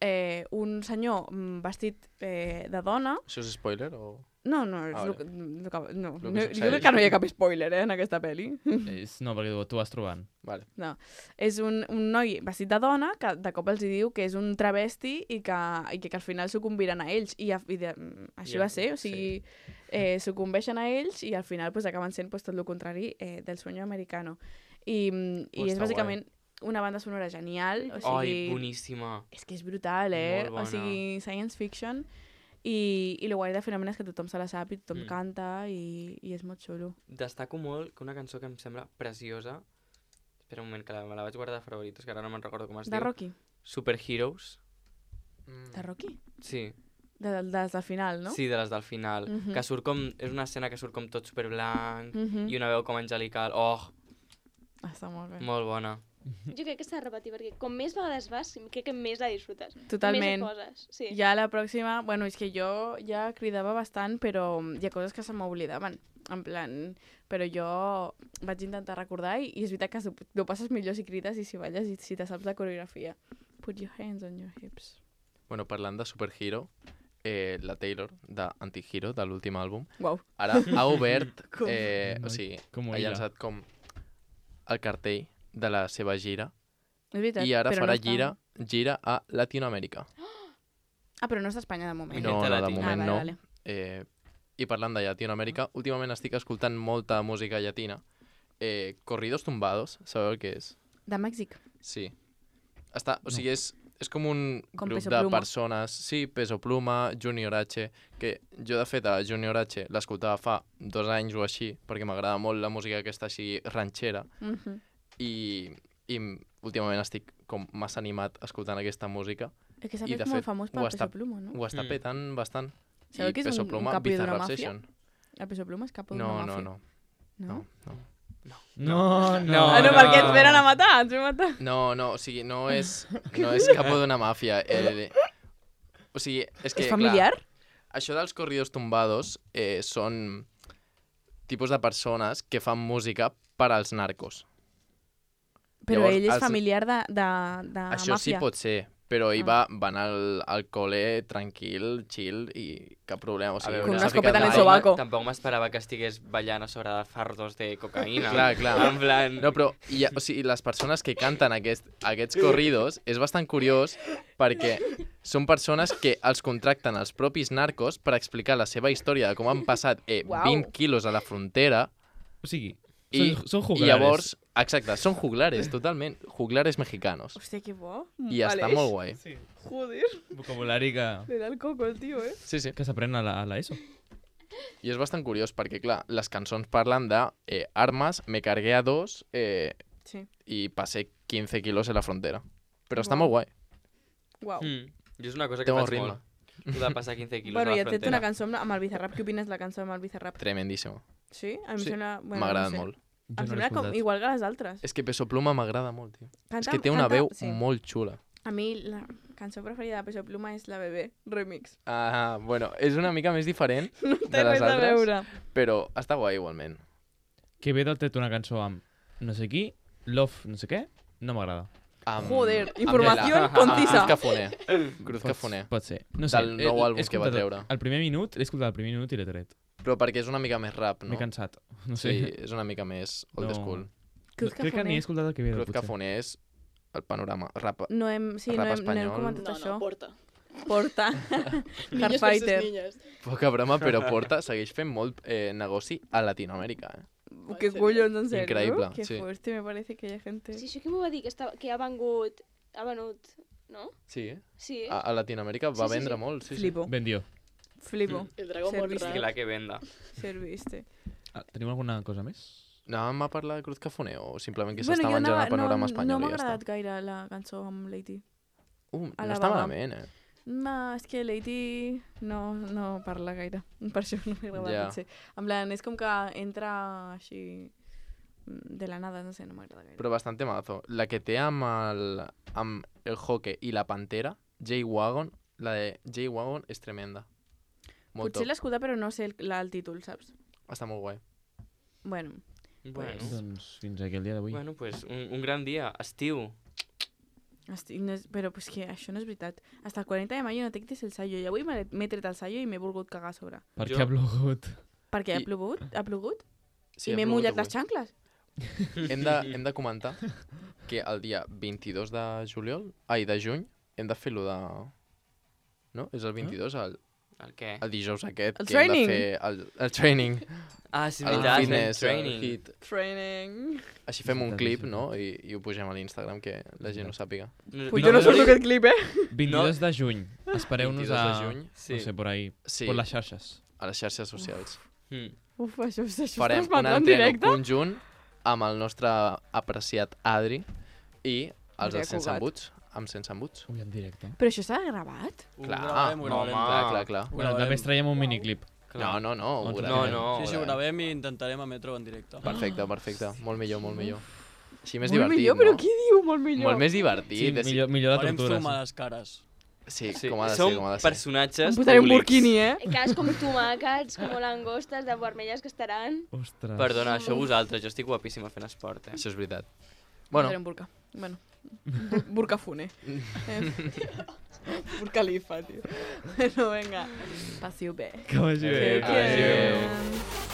un senyor vestit de dona. Això és spoiler o...? No, Ah, és vale. lo que no. Lo que Jo succeeix. crec que no hi ha cap spoiler, en aquesta pel·li. No, perquè tu vas trobant. Vale. No. És un noi vestit de dona que de cop els hi diu que és un travesti i que al final sucumbiran a ells. Així va ser, o sigui, sucumbeixen a ells i al final pues, acaben sent pues, tot el contrari del sueño americano. I és està bàsicament una banda sonora genial. O Ai, sigui, boníssima. és que és brutal, Molt bona. O sigui, science fiction. I el guai del fenomen és que tothom se la sap i tothom canta i és molt xulo. Destaco molt que una cançó que em sembla preciosa... Espera un moment, que me la vaig guardar de favoritos, que ara no me'n recordo com es De diu. Rocky? Superheroes. De Rocky? Sí. De les del final, no? Sí, de les del final. Que surt com... És una escena que surt com tot superblanc i una veu com angelical. Oh, Està molt bé. molt bona. Jo crec que s'ha de repetir, perquè com més vegades vas, crec que més la disfrutes. Totalment. Més hi poses, sí. Ja la pròxima... Bueno, és que jo ja cridava bastant, però hi ha coses que se m'oblidaven. En plan... Però jo vaig intentar recordar i és veritat que ho passes millor si crides i si balles i si te saps la coreografia. Put your hands on your hips. Bueno, parlant de Superhero, la Taylor, d'Antihero, de l'últim àlbum, Uau. ara ha obert, Com? o sigui, Com ha ella. llançat com el cartell de la seva gira És veritat, i ara però farà no està... gira a Latinoamèrica. Ah, però no està a Espanya de moment. No, Gente no, de latina. moment Ah, no. vale, vale. I parlant de Llatinoamèrica, últimament estic escoltant molta música llatina. Corridos tumbados, sabeu el que és? De Mèxic. Sí. O sigui, és com un Com grup Peso de Pluma. persones, sí, Peso Pluma, Junior H, que jo de fet a Junior H l'escoltava fa 2 anys o així, perquè m'agrada molt la música aquesta així ranxera, i últimament estic com massa animat escoltant aquesta música, És que s'ha I, fet de molt fet, famós ho per està- Peso Pluma, no? ho està petant bastant. Sabeu que és Peso un Pluma, capo d'una Bizarrap màfia? Session. El Peso Pluma és cap d'una No, màfia. no. No? No, Ah, no, perquè ens venen a matar, ens vam matar. No, o sigui, no és capo d'una màfia. O sigui, és que, És familiar? clar, això dels corridos tumbados són tipus de persones que fan música per als narcos. Però Llavors, ell és els- familiar de Això sí màfia. pot ser, però ell va anar al col·le tranquil, chill i cap problema. O sigui, veure, Con no una s'ha ficat escopeta en el mai. sobaco. Tampoc m'esperava que estigués ballant a sobre de fardos de cocaïna. Clar. En plan... No, però o sigui, les persones que canten aquests corridos és bastant curiós perquè són persones que els contracten els propis narcos per explicar la seva història de com han passat 20 quilos a la frontera O sigui, i, són i juglares. llavors, exacte, són juglares, totalment, juglares mexicanos. Hòstia, que bo. I està molt guai. Joder, Vocabulari le da el coco el tio, Sí, sí. que s'aprèn a la ESO. I és bastant curiós perquè, clar, les cançons parlen de armes, me cargué a 2 Sí. i passé 15 quilos en la frontera. Però està Guau. molt guai. Uau. Jo és una cosa que Té molt faig ritme. molt. Tu de passar 15 quilos Bueno, a i la et fet frontera. una cançó amb el Bizarrap. Què opines de la cançó amb el Bizarrap? Tremendíssima. Sí? A mi Sí, em sembla... Bueno, m'ha no agradat sé. molt. Em sembla com igual que les altres. És que Peso Pluma m'agrada molt, tio. Canta, És que té una veu sí. molt xula. A mi la cançó preferida de Peso Pluma és La Bebé, remix. Ah, bueno, és una mica més diferent No de té les res a altres, veure. però està guai igualment. Que ve del tret una cançó amb no sé qui, love no sé què, no m'agrada. Joder, amb informació Lela. concisa. Cruz Cafoner. Cruz Cafoner. Pot ser. No sé, Del nou àlbum he que va escoltat treure. El primer minut, l'he escoltat el primer minut i l'he tret. Però perquè és una mica més rap, no? M'he cansat. No sé. Sí, és una mica més old No. school. Cruz Crec que Cafoner. ni he escoltat el que ve Cruz potser. Cafoner és el panorama. Rap. No hem, sí, no Rap hem, no hem espanyol. comentat No, això. no, porta. Porta. Niños Hardfighter. versus niñas. Poca broma, però Porta segueix fent molt negoci a Latinoamèrica. ¿Qué collons, en serio? Increïble, Qué sí. fuerte, me parece que hi ha gente... Sí, això que m'ho va dir, que ha venut, no? Sí, Sí. a Latinoamèrica va Sí, sí, vendre sí. molt. Sí, Flipo, Vendió. flipo. El dragón Serviste. I la que venda. Serviste. Tenim alguna cosa més? Anàvem a parlar de Cruz Cafoner o simplement que Bueno, s'està jo menjant el panorama no espanyol m'ha i ja està? agradat gaire la cançó amb Lady. A No la està vaga. malament, No, és que Lady no parla gaire. Per això no m'ha agradat, Ja. potser. En plan, és com que entra així de la nada, no sé, no m'agrada gaire. Però bastant mazo. La que té amb el Joque i la Pantera, J-Wagon, la de J-Wagon és tremenda. Molt Potser top. l'escolta, però no sé el títol, saps? Està molt guai. Bueno, Doncs fins aquí el dia d'avui. bueno pues un gran dia. Estiu. Però pues que això no és veritat. Hasta el 40 de mayo no te quites el sallo. I avui m'he tret el sallo i m'he volgut cagar a sobre. Per què ha plogut? Perquè ha plogut? Sí, I ha m'he plogut mullat avui. les xancles. Hem de comentar que el dia 22 de juny hem de fer lo de... No? És el 22, El què? el dijous aquest, El que hem training. de fer el training, Ah, sí, el veritat, fitness, el training. hit. Training. Així fem un Veritat, clip, és no? I ho pugem a l'Instagram, que la gent ho sàpiga. Pues jo no surto aquest clip, 22 de juny. Espereu-nos 22 a... de juny. Sí. No sé, por ahí. Sí, Por les xarxes. a les xarxes socials. Uf, això es Farem un transmetrà en entreno directe? conjunt amb el nostre apreciat Adri i els Adrià de Sense Cugat. Embuts, amb Sense Embuts. Ui, en directe. Però això s'ha gravat? Clar, Ho gravem. clar. Bueno, també es traiem un miniclip. No, ho No, gravem. no. Sí, sí, ho gravem i intentarem emetre-ho en directe. Perfecte. Molt millor. Així més Molt divertit, millor, no? però qui diu molt millor? Molt més divertit. Sí, millor de Farem tortura. zoom a les cares. Sí, Sí, com ha de som ser, com ha de ser. personatges Em posaré un públics. burquini, Cares com tomàquets, com langostes de vermelles que estaran. Ostres. Perdona, això vosaltres, jo estic guapíssima fent esport, Això és veritat. Bueno. Bueno, Un burca. Bueno. Burca fune. Burca lifa, tio. Bueno, venga. Passiu bé. Que vagi bé. Que-